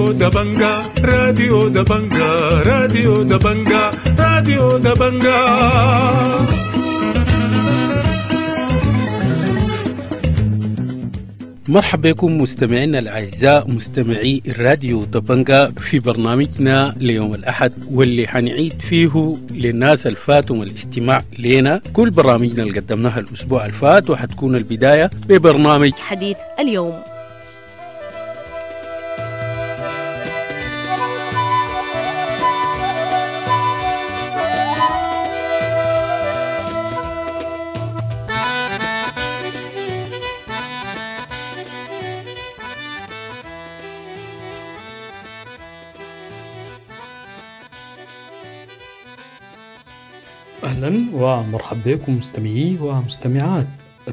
راديو دبنجا، راديو دبنجا، راديو دبنجا، راديو دبنجا. مرحبا بكم مستمعينا الأعزاء مستمعي الراديو دبنجا في برنامجنا ليوم الأحد، واللي حنعيد فيه للناس الفاتهم الاستماع لنا كل برامجنا اللي قدمناها الأسبوع الفات، وحتكون البداية ببرنامج حديث اليوم. أهلا ومرحبا بكم مستمعي ومستمعات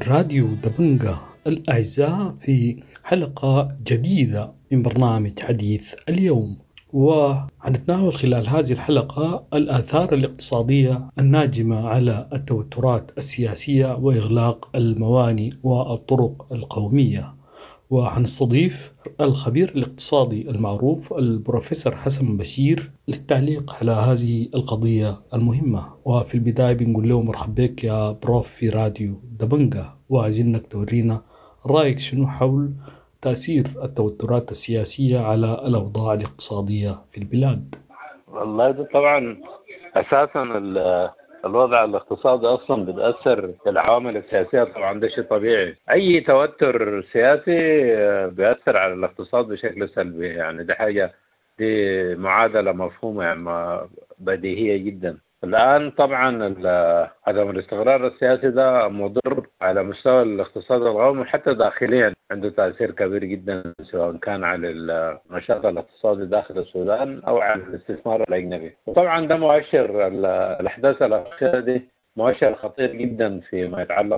راديو دبنجا الأعزاء في حلقة جديدة من برنامج حديث اليوم، وحنتناول خلال هذه الحلقة الآثار الاقتصادية الناجمة على التوترات السياسية وإغلاق الموانئ والطرق القومية، وحنستضيف الخبير الاقتصادي المعروف البروفيسور حسن بشير للتعليق على هذه القضية المهمة. وفي البداية بنقول له مرحبا بك يا بروف في راديو دبنجا، وعايزينك تورينا رأيك شنو حول تأثير التوترات السياسية على الأوضاع الاقتصادية في البلاد. والله ده طبعا أساسا الوضع الاقتصادي أصلا بتأثر بالعوامل السياسية، طبعا ده شيء طبيعي. أي توتر سياسي بيأثر على الاقتصاد بشكل سلبي، يعني ده حاجة، دي معادلة مفهومة يعني بديهية جدا. الآن طبعا عدم الاستقرار السياسي ده مضر على مستوى الاقتصاد القومي، حتى داخليا عنده تأثير كبير جدا، سواء كان على النشاط الاقتصادي داخل السودان أو على الاستثمار الأجنبي. وطبعا ده مؤشر، الأحداث الأخيرة دي مؤشر خطير جدا فيما يتعلق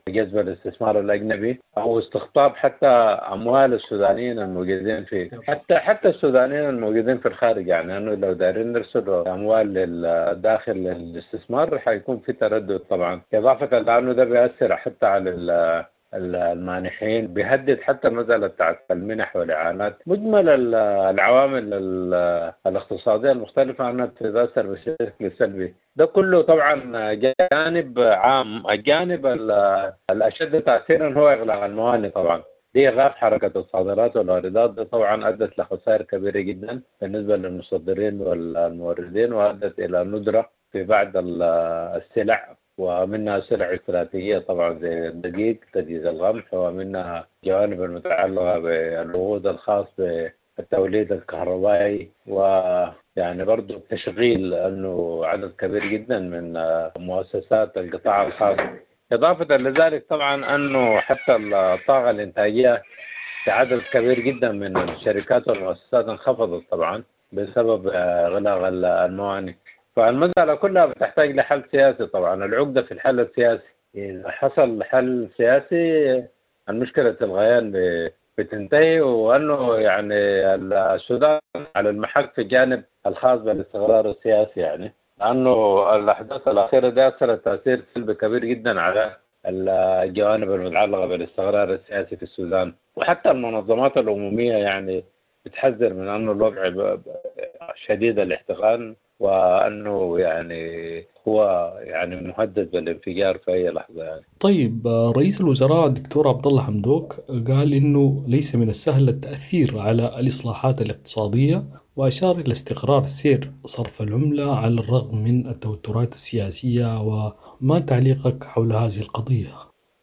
بجذب الاستثمار الأجنبي أو استقطاب حتى أموال السودانيين الموجودين في حتى السودانيين الموجودين في الخارج. يعني أنه لو دارين نرسل أموال للداخل للاستثمار حيكون في تردد طبعا، إضافة لأنه ده بيأثر حتى على المانحين، بيهدد حتى مسألة بتاعت المنح والإعانات. مجمل العوامل الاقتصادية المختلفة أنها تتأثر بشكل سلبي. ده كله طبعا جانب عام. الجانب الأشد تأثيرا هو إغلاق الموانئ طبعا، دي إيقاف حركة الصادرات والواردات، دي طبعا أدت لخسائر كبيرة جدا بالنسبة للمصدرين والموردين، وأدت إلى ندرة في بعض السلع، ومنها سلع استراتيجية طبعا زي الدقيق، دقيق القمح، ومنها جوانب المتعلقة بالوقود الخاص بالتوليد الكهربائي، ويعني برضو التشغيل، أنه عدد كبير جدا من مؤسسات القطاع الخاص. إضافة لذلك طبعا أنه حتى الطاقة الإنتاجية في عدد كبير جدا من الشركات والمؤسسات انخفضت طبعا بسبب إغلاق الموانئ. فالمسألة كلها بتحتاج لحل سياسي طبعا. العقدة في الحل السياسي، إذا حصل حل سياسي المشكلة الغيان بتنتهي، وأنه يعني السودان على المحك في الجانب الخاص بالاستقرار السياسي، يعني لأنه الأحداث الأخيرة دي أثرت تأثير سلبي كبير جدا على الجوانب المتعلقة بالاستقرار السياسي في السودان. وحتى المنظمات الأممية يعني بتحذر من أنه الوضع شديد الاحتقان، وأنه يعني هو يعني مهدد بالانفجار في أي لحظة يعني. طيب، رئيس الوزراء الدكتور عبد الله حمدوك قال إنه ليس من السهل التأثير على الإصلاحات الاقتصادية، وأشار إلى استقرار سير صرف العملة على الرغم من التوترات السياسية. وما تعليقك حول هذه القضية؟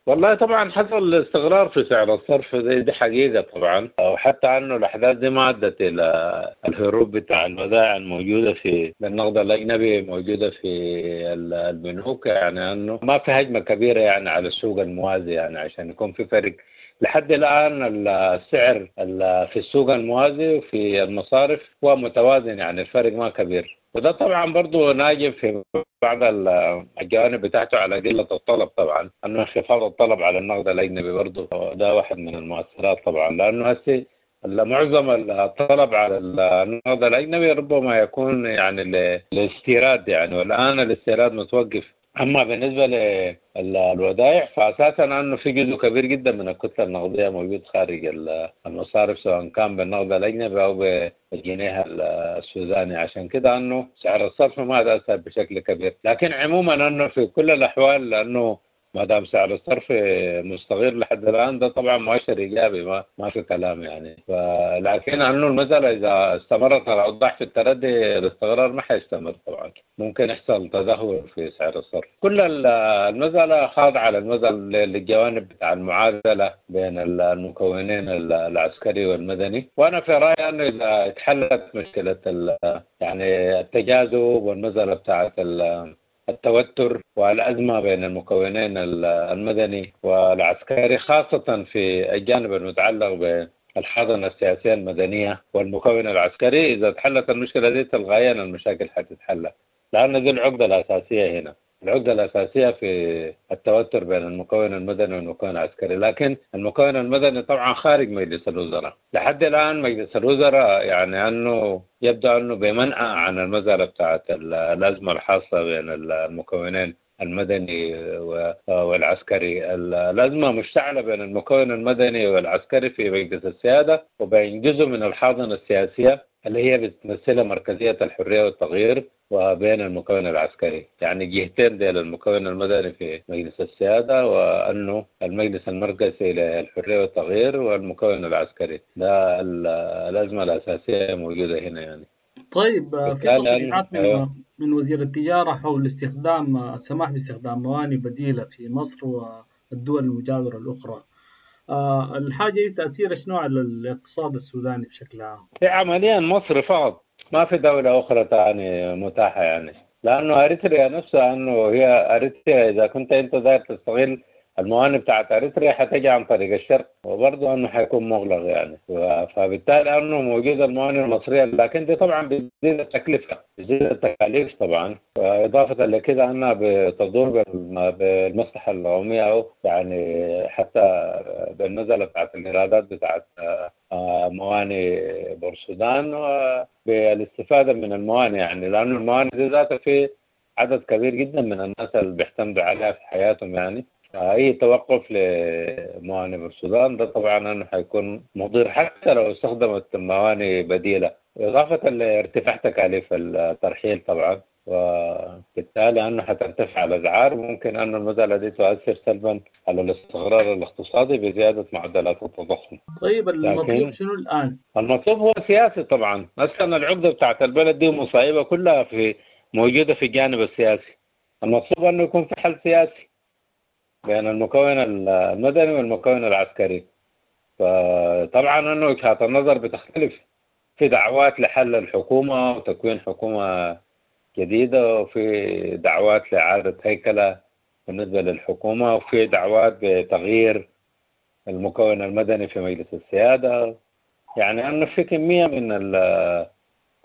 والله طبعا حصل استقرار في سعر الصرف، دي حقيقة طبعا، وحتى انه الاحداث دي ما ادت الى الهروب بتاع الودائع الموجودة في النقد الاجنبي موجودة في البنوك، يعني انه ما في هجمة كبيرة يعني على السوق الموازي، يعني عشان يكون في فرق. لحد الآن السعر في السوق الموازي وفي المصارف هو متوازن، يعني الفرق ما كبير. وده طبعا برضه ناجم في بعض الجوانب بتاعته على قلة الطلب طبعا، أنه انخفاض الطلب على النقد الأجنبي برضه ده واحد من المؤثرات طبعا، لأنه هسه معظم الطلب على النقد الأجنبي ربما يكون يعني الاستيراد يعني، والآن الاستيراد متوقف. اما بالنسبة للودائع فاساسا انه في جزء كبير جدا من الكتلة النقدية موجود خارج المصارف، سواء كان بالنقد الاجنبي او بالجنيه السوداني، عشان كده انه سعر الصرف ما تاثر بشكل كبير. لكن عموما انه في كل الاحوال لانه ما دام سعر الصرف مستقر لحد الان ده طبعا مؤشر ايجابي، ما في كلام يعني. لكن انه المسالة اذا استمرت الاوضاع في التردي الاستقرار ما حيستمر طبعا، ممكن يحصل تدهور في سعر الصرف. كل المسالة خاضعة للمسالة للجوانب بتاع المعادلة بين المكونين العسكري والمدني. وانا في رايي انه اذا اتحلت مشكلة يعني التجاذب والمسالة بتاعت التوتر والأزمة بين المكونين المدني والعسكري، خاصة في الجانب المتعلق بالحاضنة السياسية المدنية والمكون العسكري، إذا تحلت المشكلة دي تلقائيا المشاكل حتتحل، لأن دي العقدة الأساسية هنا، العقدة الأساسية في التوتر بين المكون المدني والمكون العسكري. لكن المكون المدني طبعا خارج مجلس الوزراء لحد الآن. مجلس الوزراء يعني أنه يبدو أنه بمنأى عن المسألة بتاعت الأزمة الحاصلة بين المكونين المدني والعسكري. الأزمة مشتعلة بين المكون المدني والعسكري في مجلس السيادة، وبين جزء من الحاضنة السياسية اللي هي بتمثلها مركزية الحرية والتغيير، وبين المكون العسكري. يعني جهتين ديل، المكون المدني في مجلس السيادة وأنه المجلس المركزي للحرية والتغيير والمكون العسكري. ده الأزمة الأساسية موجودة هنا يعني. طيب، في تصريحات من وزير التجارة حول استخدام السماح باستخدام موانئ بديلة في مصر والدول المجاورة الأخرى. الحاجة دي تأثيرها شنو على الاقتصاد السوداني بشكل عام؟ في عمليا مصر فقط، ما في دولة أخرى تاني متاحة يعني، لأنه أريتريا نفسها أنه هي أريتريا إذا كنت أنت داير تستغل الموانئ بتاعت أريتريا حتجي عن طريق الشرق، وبرضه أنه حيكون مغلق يعني. فبالتالي أنه موجودة الموانئ المصرية، لكن دي طبعا بتزيد التكلفة، بتزيد التكاليف طبعا، وإضافة لكده أنها بتضر بالمصلحة العمومية، أو يعني حتى بالنزلة بتاعت الإيرادات بتاعت موانئ بورسودان، وبالاستفادة من الموانئ يعني، لأنه الموانئ دي ذاتها في عدد كبير جدا من الناس اللي بيعتمدوا عليها في حياتهم يعني. أي توقف لموانئ بورسودان ده طبعا أنه حيكون مضر حتى لو استخدمت موانئ بديلة، إضافة لارتفاع تكاليف الترحيل طبعا، وبالتالي أنه حترتفع الأسعار، وممكن أن المسألة دي تؤثر سلبا على الاستقرار الاقتصادي بزيادة معدلات التضخم. طيب، المطلوب شنو الآن؟ المطلوب هو سياسي طبعا. أصلا العقدة بتاعت البلد دي ومصايبها كلها في موجودة في الجانب السياسي. المطلوب أنه يكون في حل سياسي بين المكون المدني والمكون العسكري. فطبعا أنه وجهات النظر بتختلف، في دعوات لحل الحكومة وتكوين حكومة جديدة، وفي دعوات لإعادة هيكلة بالنسبة للحكومة، وفي دعوات بتغيير المكون المدني في مجلس السيادة. يعني أنه في كمية من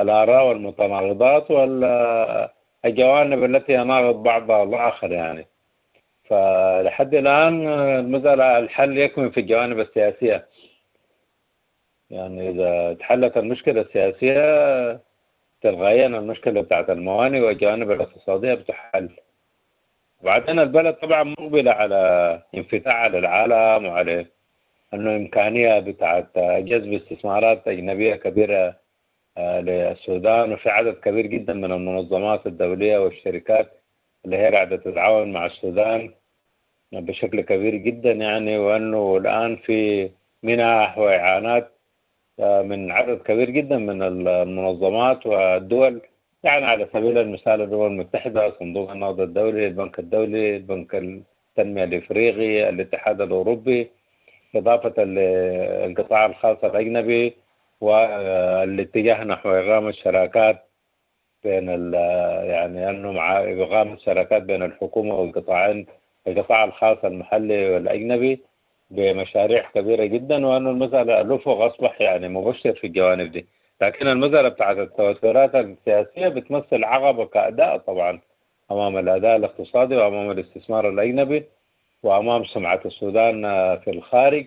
الآراء والمتناقضات والجوانب التي يناقض بعضها الآخر يعني. فلحد الآن المسألة الحل يكمن في الجوانب السياسية. يعني إذا تحلت المشكلة السياسية تلقائيا المشكلة بتاعت الموانئ والجوانب الاقتصادية بتحل. وبعدين البلد طبعا مقبلة على انفتاح على العالم، وعلى أنه إمكانية بتاعت جذب استثمارات أجنبية كبيرة للسودان، وفي عدد كبير جدا من المنظمات الدولية والشركات اللي هي قاعدة تتعاون مع السودان بشكل كبير جدا يعني، وأنه الآن في منح وإعانات من عدد كبير جدا من المنظمات والدول، يعني على سبيل المثال الأمم المتحدة، صندوق النقد الدولي، البنك الدولي، البنك التنمية الإفريقي، الاتحاد الأوروبي، إضافة للقطاع الخاص الأجنبي، والاتجاه نحو إقامة شراكات بين يعني أنه مع إقامة شراكات بين الحكومة والقطاعين، القطاع الخاص المحلي والأجنبي، بمشاريع كبيرة جدا. وأنه المسألة الأفق أصبح يعني مبشر في الجوانب دي. لكن المسألة بتاعت التوترات السياسية بتمثل عقبة كأداء طبعا أمام الأداء الاقتصادي وأمام الاستثمار الأجنبي وأمام سمعة السودان في الخارج،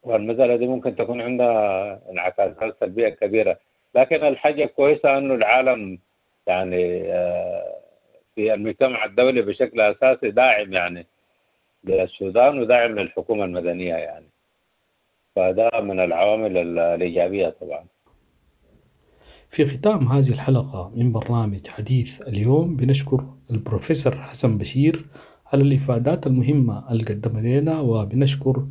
والمسألة دي ممكن تكون عندها انعكاسات سلبية كبيرة. لكن الحاجة كويسة أنه العالم يعني في المجتمع الدولي بشكل أساسي داعم يعني للسودان وداعم للحكومة المدنية يعني، فده من العوامل الإيجابية طبعا. في ختام هذه الحلقة من برنامج حديث اليوم بنشكر البروفيسور حسن بشير على الإفادات المهمة اللي قدمها لنا، وبنشكر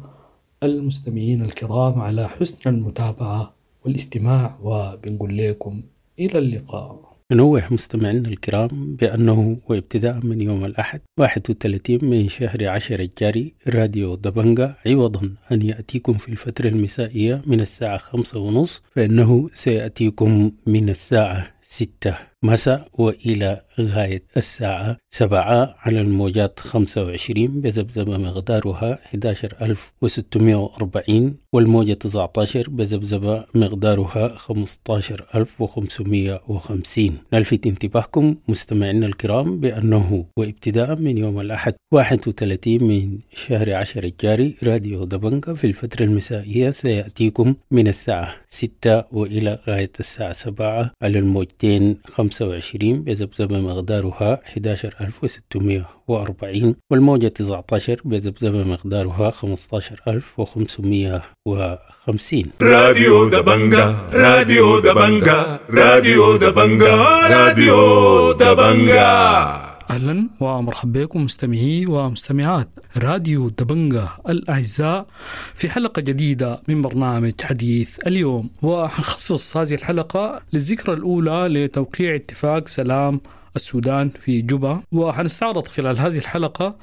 المستمعين الكرام على حسن المتابعة والاستماع، وبنقول لكم إلى اللقاء. ننوه مستمعينا الكرام بأنه وابتداء من يوم الأحد 31 من شهر 10 الجاري راديو دبنجا عوضا أن يأتيكم في الفترة المسائية من الساعة 5:30 فإنه سيأتيكم من الساعة 6 مساء وإلى غاية الساعة 7 على الموجات 25 بذبذبة مقدارها 11640، والموجة 19 بذبذبة مقدارها 15550. نلفت انتباهكم مستمعينا الكرام بأنه وابتداء من يوم الأحد 31 من شهر 10 الجاري راديو دبنجا في الفترة المسائية سيأتيكم من الساعة 6 وإلى غاية الساعة 7 على الموجتين 25 بذبذبة مقدارها 11640، والموجة 19 بذبذبة مقدارها 15550. راديو دبنجا، راديو دبنجا، راديو دبنجا، راديو دبنجا. أهلا ومرحبا بكم مستمعي ومستمعات راديو دبنجا الأعزاء في حلقة جديدة من برنامج حديث اليوم، وحنخصص هذه الحلقة للذكرى الأولى لتوقيع اتفاق سلام السودان في جوبا، وحنستعرض خلال هذه الحلقة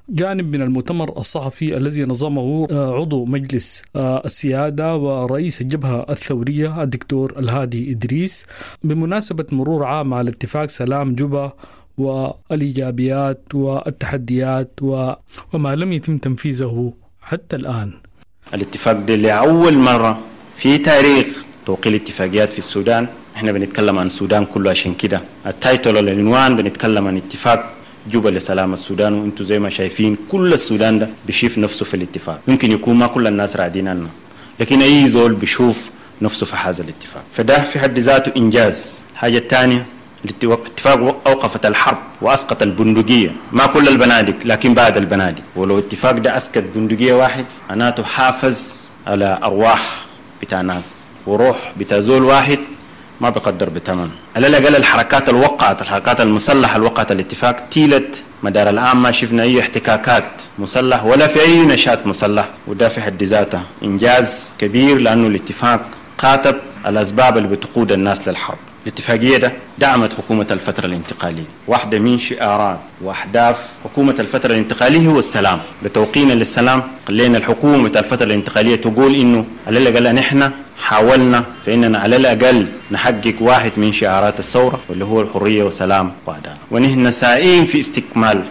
جانب من المؤتمر الصحفي الذي نظمه عضو مجلس السيادة ورئيس الجبهة الثورية الدكتور الهادي إدريس بمناسبة مرور عام على اتفاق سلام جوبا والإيجابيات والتحديات وما لم يتم تنفيذه حتى الآن. الاتفاق ده لأول مرة في تاريخ توقيع الاتفاقيات في السودان. احنا بنتكلم عن السودان كله، عشان كده ال title العنوان بنتكلم عن اتفاق جوبا لسلام السودان، وانتم زي ما شايفين كل السودان ده بيشوف نفسه في الاتفاق. يمكن يكون ما كل الناس راضين عنه، لكن اي زول بيشوف نفسه في هذا الاتفاق، فده في حد ذاته انجاز. الحاجه الثانيه، الاتفاق أوقفت الحرب وأسقط البندقية، ما كل البنادق لكن بعد البنادق، ولو اتفاق ده أسقط بندقية واحد معناته حافظ على أرواح بتاع ناس، وروح بتاع زول واحد ما بقدر بثمن. على الأقل الحركات الوقعت، الحركات المسلحة الوقعت الاتفاق تيلت مدار العام ما شفنا أي احتكاكات مسلح ولا في أي نشاط مسلح، وده في حد ذاته إنجاز كبير، لأنه الاتفاق خاطب الأسباب اللي بتقود الناس للحرب. الاتفاقية ده دعمت حكومة الفترة الانتقالية. واحدة من شعارات وأهداف حكومة الفترة الانتقالية هو السلام. بتوقينا للسلام خلينا الحكومة الفترة الانتقالية تقول إنه على الأقل نحن حاولنا فإننا على الأقل نحقق واحد من شعارات الثورة واللي هو الحرية وسلام وعدالة، ونحن سائين في استكمال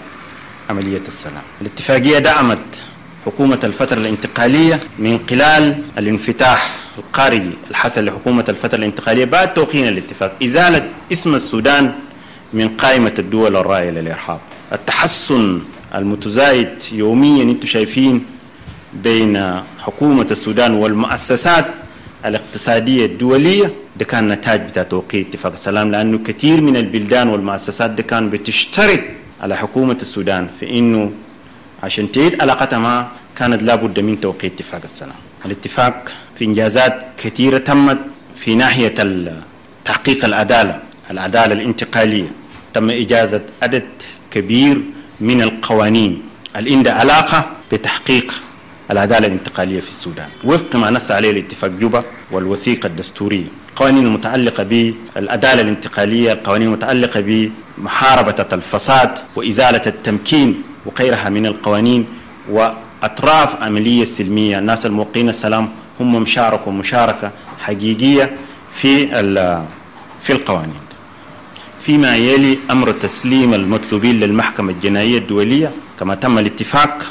عملية السلام. الاتفاقية دعمت حكومة الفترة الانتقالية من خلال الانفتاح الخارجي الحصل لحكومة الفترة الانتقالية بعد توقيع الاتفاق، إزالة اسم السودان من قائمة الدول الراعية للإرهاب، التحسن المتزايد يوميا انتم شايفين بين حكومة السودان والمؤسسات الاقتصادية الدولية، ده كان نتاج بتاع توقيع اتفاق السلام، لأنه كثير من البلدان والمؤسسات ده كان بتشترط على حكومة السودان في إنه عشان تعيد علاقتها معه كانت لابد من توقيع اتفاق السلام. الاتفاق في إنجازات كثيرة تمت في ناحية تحقيق العدالة، العدالة الانتقالية، تم إجازة عدد كبير من القوانين اللي عندها علاقة بتحقيق العدالة الانتقالية في السودان وفق ما نص عليه الاتفاق جوبا والوثيقة الدستورية، القوانين المتعلقة بالعدالة الانتقالية، القوانين المتعلقة بمحاربة الفساد وإزالة التمكين وغيرها من القوانين. وأطراف عملية السلمية، الناس الموقعين السلام هم مشاركوا مشاركة حقيقية في القوانين. فيما يلي أمر تسليم المطلوبين للمحكمة الجنائية الدولية كما تم الاتفاق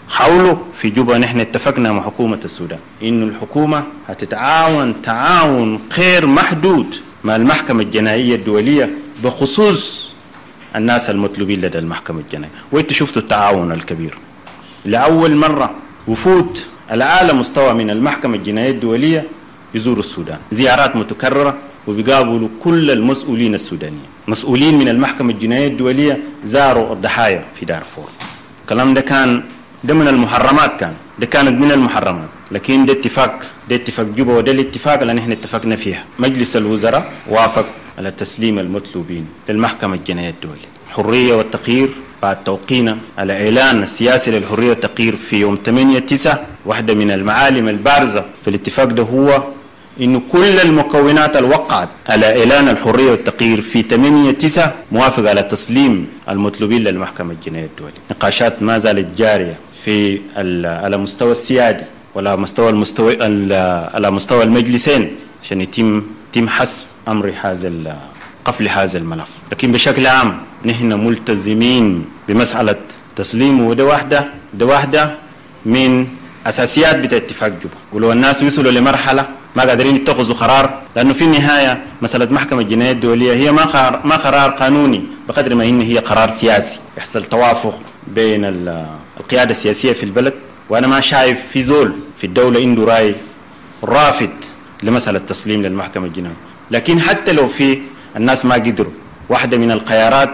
حوله في جوبا. نحن اتفقنا مع حكومة السودان إنه الحكومة هتتعاون تعاون غير محدود مع المحكمة الجنائية الدولية بخصوص الناس المطلوبين لدى المحكمة الجنائية، وانتوا شفتوا التعاون الكبير. لأول مرة وفود على أعلى مستوى من المحكمة الجنائية الدولية يزوروا السودان، زيارات متكررة، وبيقابلوا كل المسؤولين السودانيين. مسؤولين من المحكمة الجنائية الدولية زاروا الضحايا في دارفور. الكلام ده كان ده من المحرمات، كان ده كانت من المحرمات، لكن ده اتفاق، ده اتفاق جوبا، وده الاتفاق اللي نحن اتفقنا فيها. مجلس الوزراء وافق على تسليم المطلوبين للمحكمة الجنائية الدولية. الحرية والتغيير بعد توقينا على إعلان السياسي للحرية والتغيير في يوم 8/9، واحدة من المعالم البارزة في الاتفاق ده هو إنه كل المكونات اللي وقعت على إعلان الحرية والتغيير في 8/9 موافق على تسليم المطلوبين للمحكمة الجنائية الدولية. نقاشات ما زالت جارية في على مستوى السيادي ولا مستوى على مستوى المجلسين عشان يتم حسم أمر هذا قفل هذا الملف. لكن بشكل عام نحن ملتزمين بمسألة تسليمه، وده واحدة من أساسيات بتاع اتفاق جوبا. ولو الناس وصلوا لمرحلة ما قادرين يتخذوا قرار، لأنه في النهاية مسألة محكمة الجنائية الدولية هي ما قرار قانوني بقدر ما إن هي قرار سياسي، يحصل توافق بين القيادة السياسية في البلد. وأنا ما شايف في زول في الدولة عنده رأي رافض لمسألة التسليم للمحكمة الجنائية، لكن حتى لو في الناس ما قدروا، واحدة من الخيارات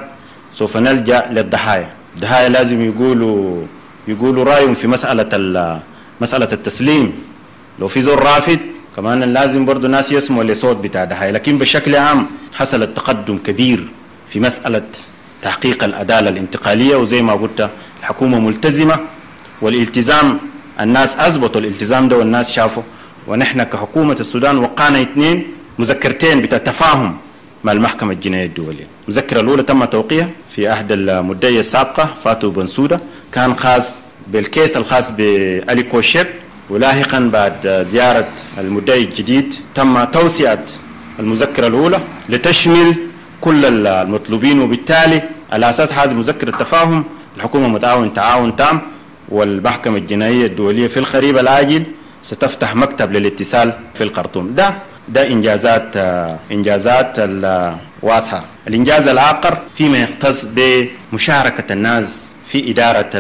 سوف نلجأ للضحايا. الضحايا لازم يقولوا رأيهم في مسألة التسليم. لو في زول رافض كمان لازم برضو ناس يسمعوا لصوت بتاع ضحايا. لكن بشكل عام حصل تقدم كبير في مسألة تحقيق العدالة الانتقالية، وزي ما قلت الحكومة ملتزمة، والالتزام الناس أثبتوا الالتزام ده والناس شافوا. ونحن كحكومة السودان وقعنا 2 مذكرتين بتاع تفاهم مع المحكمة الجنائية الدولية. المذكرة الأولى تم توقيعها في عهد المدعية السابقة فاتو بنسودة، كان خاص بال case الخاص بألي كوشيب، ولاحقا بعد زيارة المدعي الجديد تم توسعة المذكرة الأولى لتشمل كل المطلوبين، وبالتالي على أساس هذه مذكرة التفاهم الحكومة متعاون تعاون تام، والمحكمة الجنائية الدولية في القريب العاجل ستفتح مكتب للاتصال في الخرطوم. ده إنجازات واضحة. الإنجاز الآخر فيما يختص بمشاركة الناس في إدارة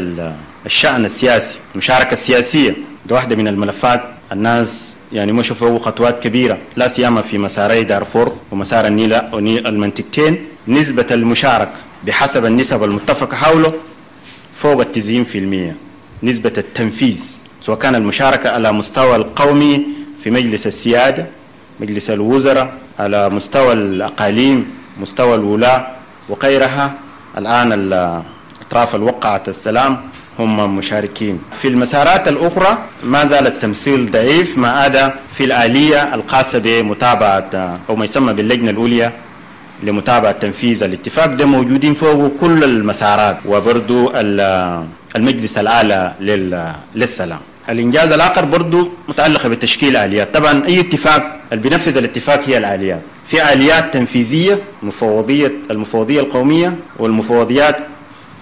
الشأن السياسي، المشاركة السياسية ده واحدة من الملفات الناس يعني مشوا فوق خطوات كبيرة، لا سيما في مساري دارفور ومسار النيل المنطقتين. نسبة المشاركة بحسب النسب المتفق حوله فوق 90% نسبة التنفيذ، سواء كان المشاركة على مستوى القومي في مجلس السيادة، مجلس الوزراء، على مستوى الأقاليم، مستوى الولاة وغيرها. الآن الأطراف الوقعت السلام هم مشاركين. في المسارات الأخرى ما زال التمثيل ضعيف، ما عدا في الآلية الخاصة بمتابعة أو ما يسمى باللجنة الأولية لمتابعة تنفيذ الاتفاق، ده موجودين فوق كل المسارات، وبرضو المجلس الأعلى للسلام. الإنجاز الآخر برضو متعلق بتشكيل آليات. طبعا أي اتفاق اللي بينفذ الاتفاق هي الآليات. في آليات تنفيذية، المفوضية القومية والمفوضيات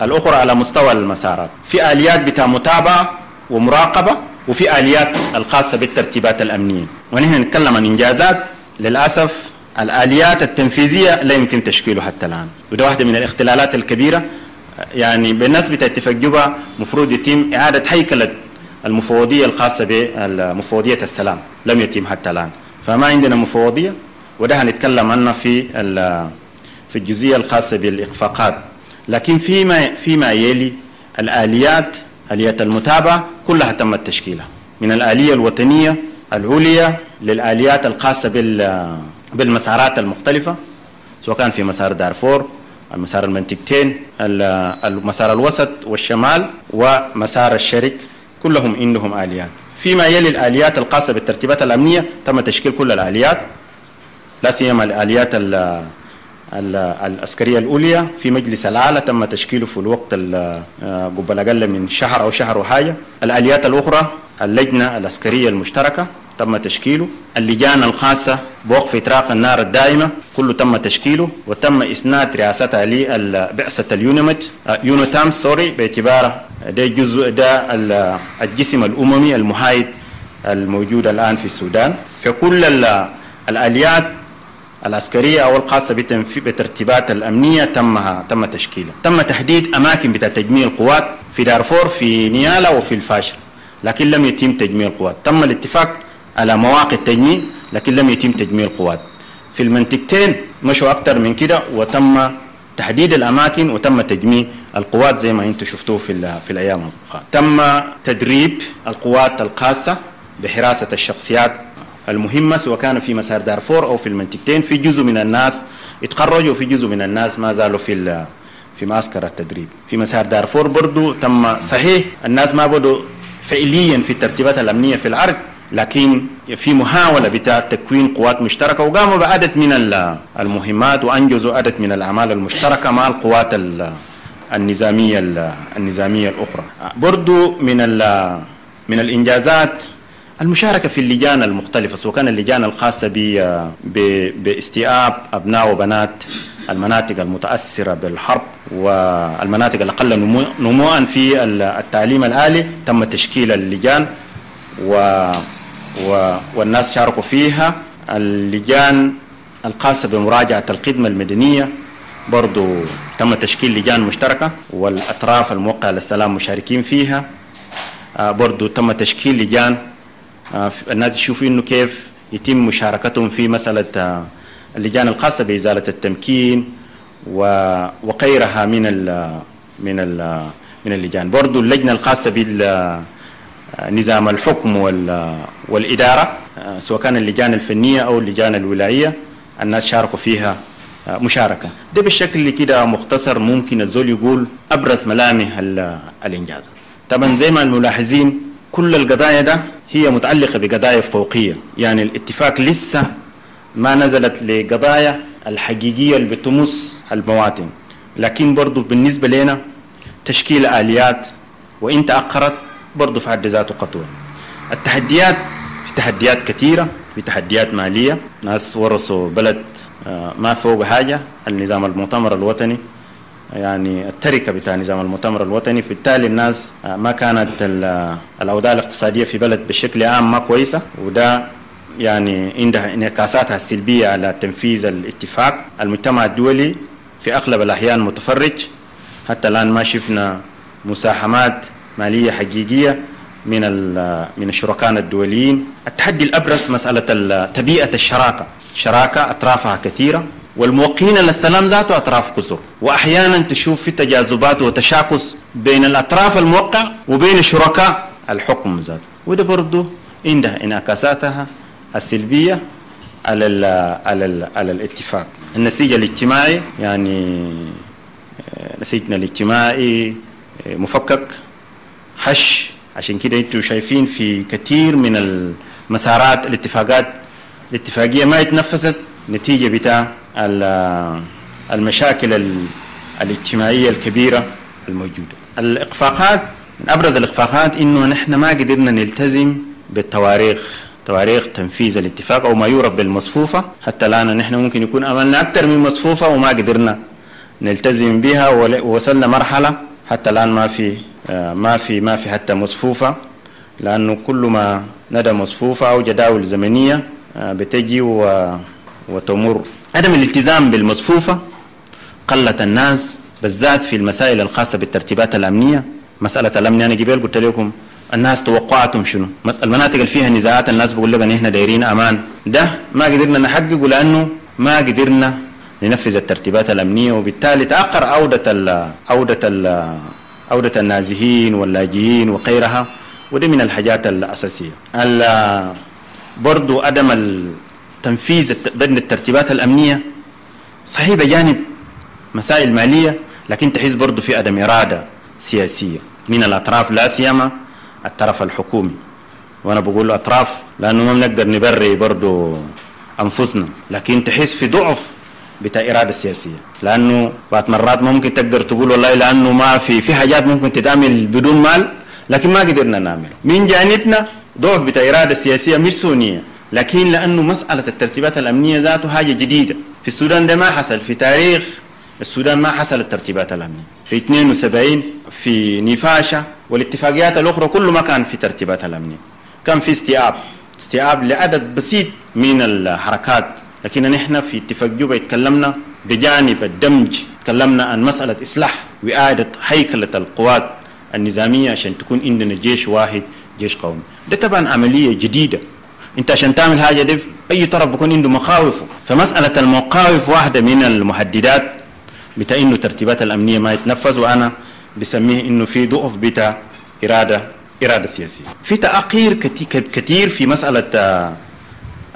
الأخرى على مستوى المسارات. في آليات بتاع متابعة ومراقبة، وفي آليات الخاصة بالترتيبات الأمنية. ونحن نتكلم عن إنجازات، للأسف الآليات التنفيذية لا يمكن تشكيله حتى الآن، وده واحدة من الاختلالات الكبيرة. يعني بالنسبة لاتفاق جوبا مفروض يتم إعادة هيكلة المفوضية الخاصة بمفوضية السلام، لم يتم حتى الآن، فما عندنا مفوضية، وده هنتكلم عنه في الجزئية الخاصة بالإخفاقات. لكن فيما يلي الآليات، آليات المتابعة كلها تم تشكيلها، من الآلية الوطنية العليا للآليات الخاصة بالمسارات المختلفة، سواء كان في مسار دارفور، المسار المنطقتين، المسار الوسط والشمال، ومسار الشرق، كلهم عندهم آليات. فيما يلي الآليات الخاصة بالترتيبات الأمنية تم تشكيل كل الآليات، لا سيما الآليات العسكرية الأولية في مجلس الأعلى تم تشكيله في الوقت قبل أقل من شهر أو شهر وحاجة. الآليات الأخرى اللجنة العسكرية المشتركة تم تشكيله، اللجان الخاصة بوقف إطلاق النار الدائمة كله تم تشكيله، وتم إسناد رئاستها لبعثة اليونمت يونتام sorry، باعتباره ده جزء ده الجسم الأممي المحايد الموجود الآن في السودان. فكل الآليات العسكرية أو الخاصة بترتيبات الأمنية تم تشكيلها. تم تحديد أماكن بتاع تجميع القوات في دارفور، في نيالا، وفي الفاشر، لكن لم يتم تجميع القوات. تم الاتفاق على مواقع التجميع لكن لم يتم تجميع القوات. في المنطقتين مشوا أكثر من كده، وتم تحديد الأماكن وتم تجميع القوات زي ما أنتم شفتوه في الأيام الأخرى. تم تدريب القوات الخاصة بحراسة الشخصيات المهمة سواء كان في مسار دارفور أو في المنطقتين. في جزء من الناس اتخرجوا وفي جزء من الناس ما زالوا في معسكر التدريب. في مسار دارفور برضو تم، صحيح الناس ما بدوا فعليا في الترتيبات الأمنية في الأرض، لكن في محاولة بتاع تكوين قوات مشتركة، وقاموا بعدد من المهمات وأنجزوا عدد من الأعمال المشتركة مع القوات النظامية الأخرى. برضو من الإنجازات المشاركة في اللجان المختلفة، سواء كان اللجان الخاصة باستيعاب أبناء وبنات المناطق المتأثرة بالحرب والمناطق الأقل نمواً في التعليم العالي. تم تشكيل اللجان والناس شاركوا فيها. اللجان الخاصة بمراجعة الخدمة المدنية برضو تم تشكيل لجان مشتركة والأطراف الموقعة للسلام مشاركين فيها. برضو تم تشكيل لجان الناس يشوفوا إنه كيف يتم مشاركتهم في مسألة اللجان الخاصة بإزالة التمكين وغيرها من ال من ال من اللجان. برضو اللجنة الخاصة بالنظام الحكم والإدارة، سواء كان اللجان الفنية أو اللجان الولائية، الناس شاركوا فيها مشاركة. ده بالشكل كده مختصر ممكن الزول يقول أبرز ملامح الإنجاز. طبعا زي ما الملاحظين كل القضايا ده هي متعلقة بقضايا فوقية، يعني الاتفاق لسه ما نزلت لقضايا الحقيقية اللي بتمس المواطن. لكن برضو بالنسبة لنا تشكيل آليات وإن تأخرت برضو في حد ذاته خطوة. التحديات، في تحديات كثيرة، في تحديات مالية، ناس ورثوا بلد ما فوق حاجة، النظام المؤتمر الوطني يعني التركة بتاع نظام المؤتمر الوطني، بالتالي الناس ما كانت الأوضاع الاقتصادية في بلد بشكل عام ما كويسة، وده يعني عندها انعكاساتها السلبية على تنفيذ الاتفاق. المجتمع الدولي في أغلب الأحيان متفرج، حتى الآن ما شفنا مساهمات مالية حقيقية من الشركاء الدوليين. التحدي الأبرز مسألة طبيعة الشراكة، شراكة أطرافها كثيرة والموقعين للسلام ذاته أطراف كثر، وأحيانا تشوف في تجاذبات وتشاكس بين الأطراف الموقع وبين الشركاء الحكم ذاته، وده برضه عندها انعكاساتها السلبية على ال على ال على الاتفاق. النسيج الاجتماعي، يعني نسيجنا الاجتماعي مفكك حش، عشان كده انتم شايفين في كثير من المسارات الاتفاقات الاتفاقية ما اتنفذت نتيجة بتاع المشاكل الاجتماعية الكبيرة الموجودة. الإخفاقات، من أبرز الإخفاقات إنه نحن ما قدرنا نلتزم بالتواريخ، تواريخ تنفيذ الاتفاق أو ما يعرف بالمصفوفة. حتى الآن نحن ممكن يكون أملنا أكثر من مصفوفة وما قدرنا نلتزم بها، ووصلنا مرحلة حتى الآن ما في حتى مصفوفة، لأنه كل ما ندى مصفوفة أو جداول زمنية بتجي وتمر. عدم الالتزام بالمصفوفة قلت الناس بالذات في المسائل الخاصة بالترتيبات الأمنية. مسألة الأمن أنا قبل قلت لكم الناس توقعاتهم شنو، المناطق اللي فيها نزاعات الناس بيقول لك ان احنا دايرين امان، ده ما قدرنا نحققه لانه ما قدرنا ننفذ الترتيبات الامنيه، وبالتالي تاخر عوده النازحين واللاجئين وغيرها، ودي من الحاجات الاساسيه. برضو عدم التنفيذ بدن الترتيبات الامنيه صحيح بجانب مسائل ماليه، لكن تحس برضو في عدم اراده سياسيه من الاطراف، لا سيما الطرف الحكومي. وانا بقول اطراف لانه ما بنقدر نبري برضو انفسنا، لكن تحس في ضعف بتاع اراده سياسيه، لانه بعض مرات ممكن تقدر تقول والله لانه ما في حاجات ممكن تتعمل بدون مال، لكن ما قدرنا نعمله. من جانبنا ضعف بتاع اراده سياسيه مش سونيه، لكن لانه مساله الترتيبات الامنيه ذاته حاجه جديده في السودان، ده ما حصل في تاريخ السودان، ما حصل الترتيبات الامنيه في 72 في نفاشة والاتفاقيات الأخرى كله ما كان في ترتيبات الأمنية، كان في استيعاب لعدد بسيط من الحركات. لكن نحن في اتفاق جوبا اتكلمنا بجانب الدمج، تكلمنا عن مسألة إصلاح وإعادة هيكلة القوات النظامية عشان تكون عندنا جيش واحد، جيش قومي. ده طبعا عملية جديدة، انت عشان تعمل حاجة دي اي طرف بيكون عنده مخاوفه. فمسالة المخاوف واحدة من المهددات بتاع انه الترتيبات الامنية ما يتنفذ، وانا بسميه انه في ضعف بتاع اراده سياسية. في تاخير كثير في مسالة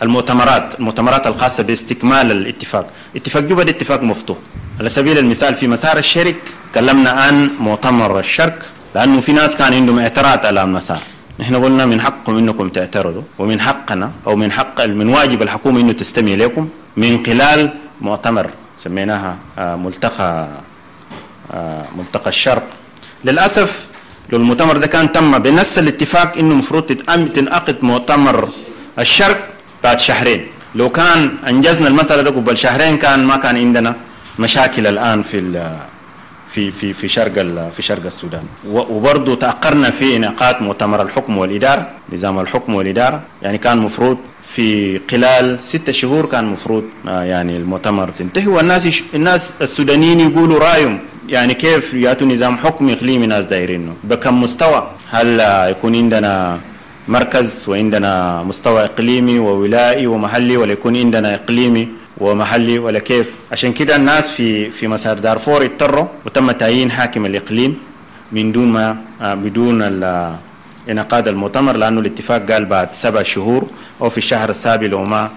المؤتمرات الخاصة باستكمال الاتفاق. اتفاق جوبا ده اتفاق مفتوح. على سبيل المثال في مسار الشرق تكلمنا عن مؤتمر الشرق، لانه في ناس كان عندهم اعتراض على المسار. نحن قلنا من حقكم انكم تعترضوا، ومن حقنا او من حق من واجب الحكومة انه تستمع لكم من خلال مؤتمر سميناها ملتقى الشرق. للاسف لو المؤتمر ده كان تم بنفس الاتفاق انه المفروض تنعقد مؤتمر الشرق بعد شهرين، لو كان انجزنا المسالة ده قبل شهرين كان ما كان عندنا مشاكل الان في في في في شرق في شرق السودان. وبرضه تاخرنا في انعقاد مؤتمر الحكم والادارة، نظام الحكم والادارة، يعني كان مفروض في خلال 6 شهور كان مفروض يعني المؤتمر تنتهي، والناس الناس السودانيين يقولوا رايهم، يعني كيف ياتوا نظام حكم اقليمي ناس دايرينه بكم مستوى، هل يكون عندنا مركز وعندنا مستوى اقليمي وولائي ومحلي، ولا يكون عندنا اقليمي ومحلي ولا كيف؟ عشان كده الناس في مسار دارفور اضطروا وتم تعيين حاكم الاقليم من دون ما بدون انعقاد المؤتمر، لانه الاتفاق قال بعد 7 شهور او في الشهر السابع لو ما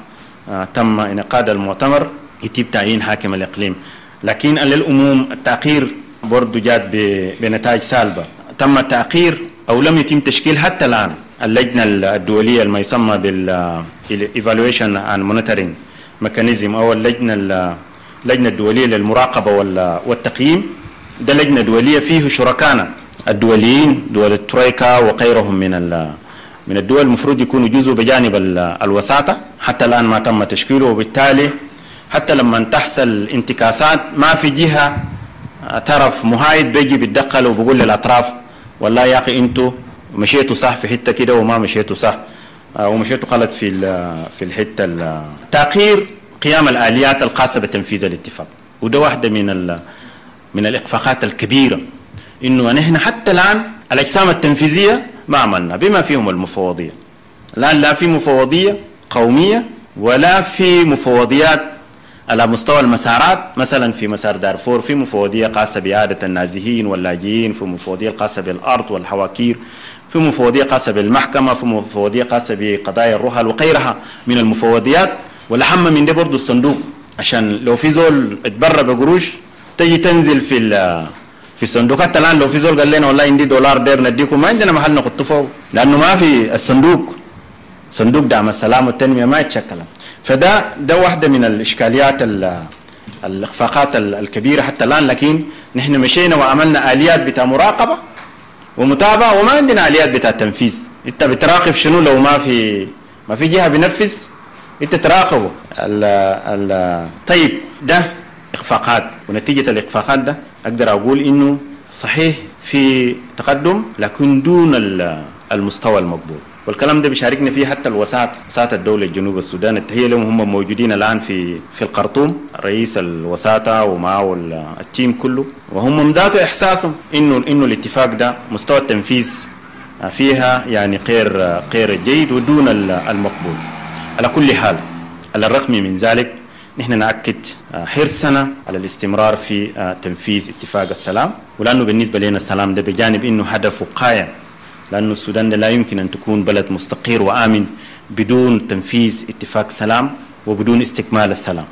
تم انعقاد المؤتمر يتم تعيين حاكم الاقليم. لكن للعموم التاخير برضه جات بنتائج سالبه، تم التاخير او لم يتم تشكيل حتى الان اللجنة الدولية ما يسمى بال evaluation and monitoring mechanism، او اللجنة الدولية للمراقبه والتقييم. ده لجنة دولية فيه شركانا الدوليين، دول الترويكا وغيرهم من الدول، المفروض يكونوا جزء بجانب الوساطة، حتى الان ما تم تشكيله، وبالتالي حتى لما تحصل انتكاسات ما في جهة طرف محايد بيجي بيتدخل وبيقول للاطراف والله يا اخي انتوا مشيتوا صح في حتة كده وما مشيتوا صح ومشيتوا غلط في الحتة. تاخير قيام الاليات الخاصة بتنفيذ الاتفاق، وده واحدة من الاخفاقات الكبيرة، انه نحن حتى الان الاجسام التنفيذية ما عملنا بما فيهم المفوضية. الان لا في مفوضيه قومية ولا في مفوضيات على مستوى المسارات. مثلا في مسار دارفور في مفوضيه خاصة باعادة النازحين واللاجئين، في مفوضيه خاصة بالارض والحواكير، في مفوضيه خاصة بالمحكمه، في مفوضيه خاصة بقضايا الرحل وغيرها من المفوضيات. والاهم من ده برضه الصندوق، عشان لو في زول اتبرى بقروش تجي تنزل في الصندوق. حتى الان لو في زول قال لنا والله عندي دولار دير نديكم، ما عندنا محل نحطه فوق، لانه ما في الصندوق، صندوق دعم السلام والتنمية ما يتشكل. فده واحدة من الاشكاليات الاخفاقات الكبيرة حتى الان. لكن نحن مشينا وعملنا اليات بتاع مراقبة ومتابعة، وما عندنا اليات بتاع تنفيذ. انت بتراقب شنو لو ما في جهة بنفذ؟ انت تراقبه. طيب ده اخفاقات، ونتيجة الاخفاقات ده اقدر اقول انه صحيح في تقدم لكن دون المستوى المقبول. والكلام ده بيشاركنا فيه حتى الوساطة، وساطة الدولة الجنوب السودان، التحية لهم، هم موجودين الآن في الخرطوم، رئيس الوساطة ومعه التيم كله، وهم ذاته إحساسهم إنه الاتفاق ده مستوى التنفيذ فيها يعني غير جيد ودون المقبول. على كل حال، على الرغم من ذلك نحن نأكد حرصنا على الاستمرار في تنفيذ اتفاق السلام، ولأنه بالنسبة لنا السلام ده بجانب إنه هدف وقاية، لأن السودان لا يمكن أن تكون بلد مستقر وآمن بدون تنفيذ اتفاق سلام وبدون استكمال السلام.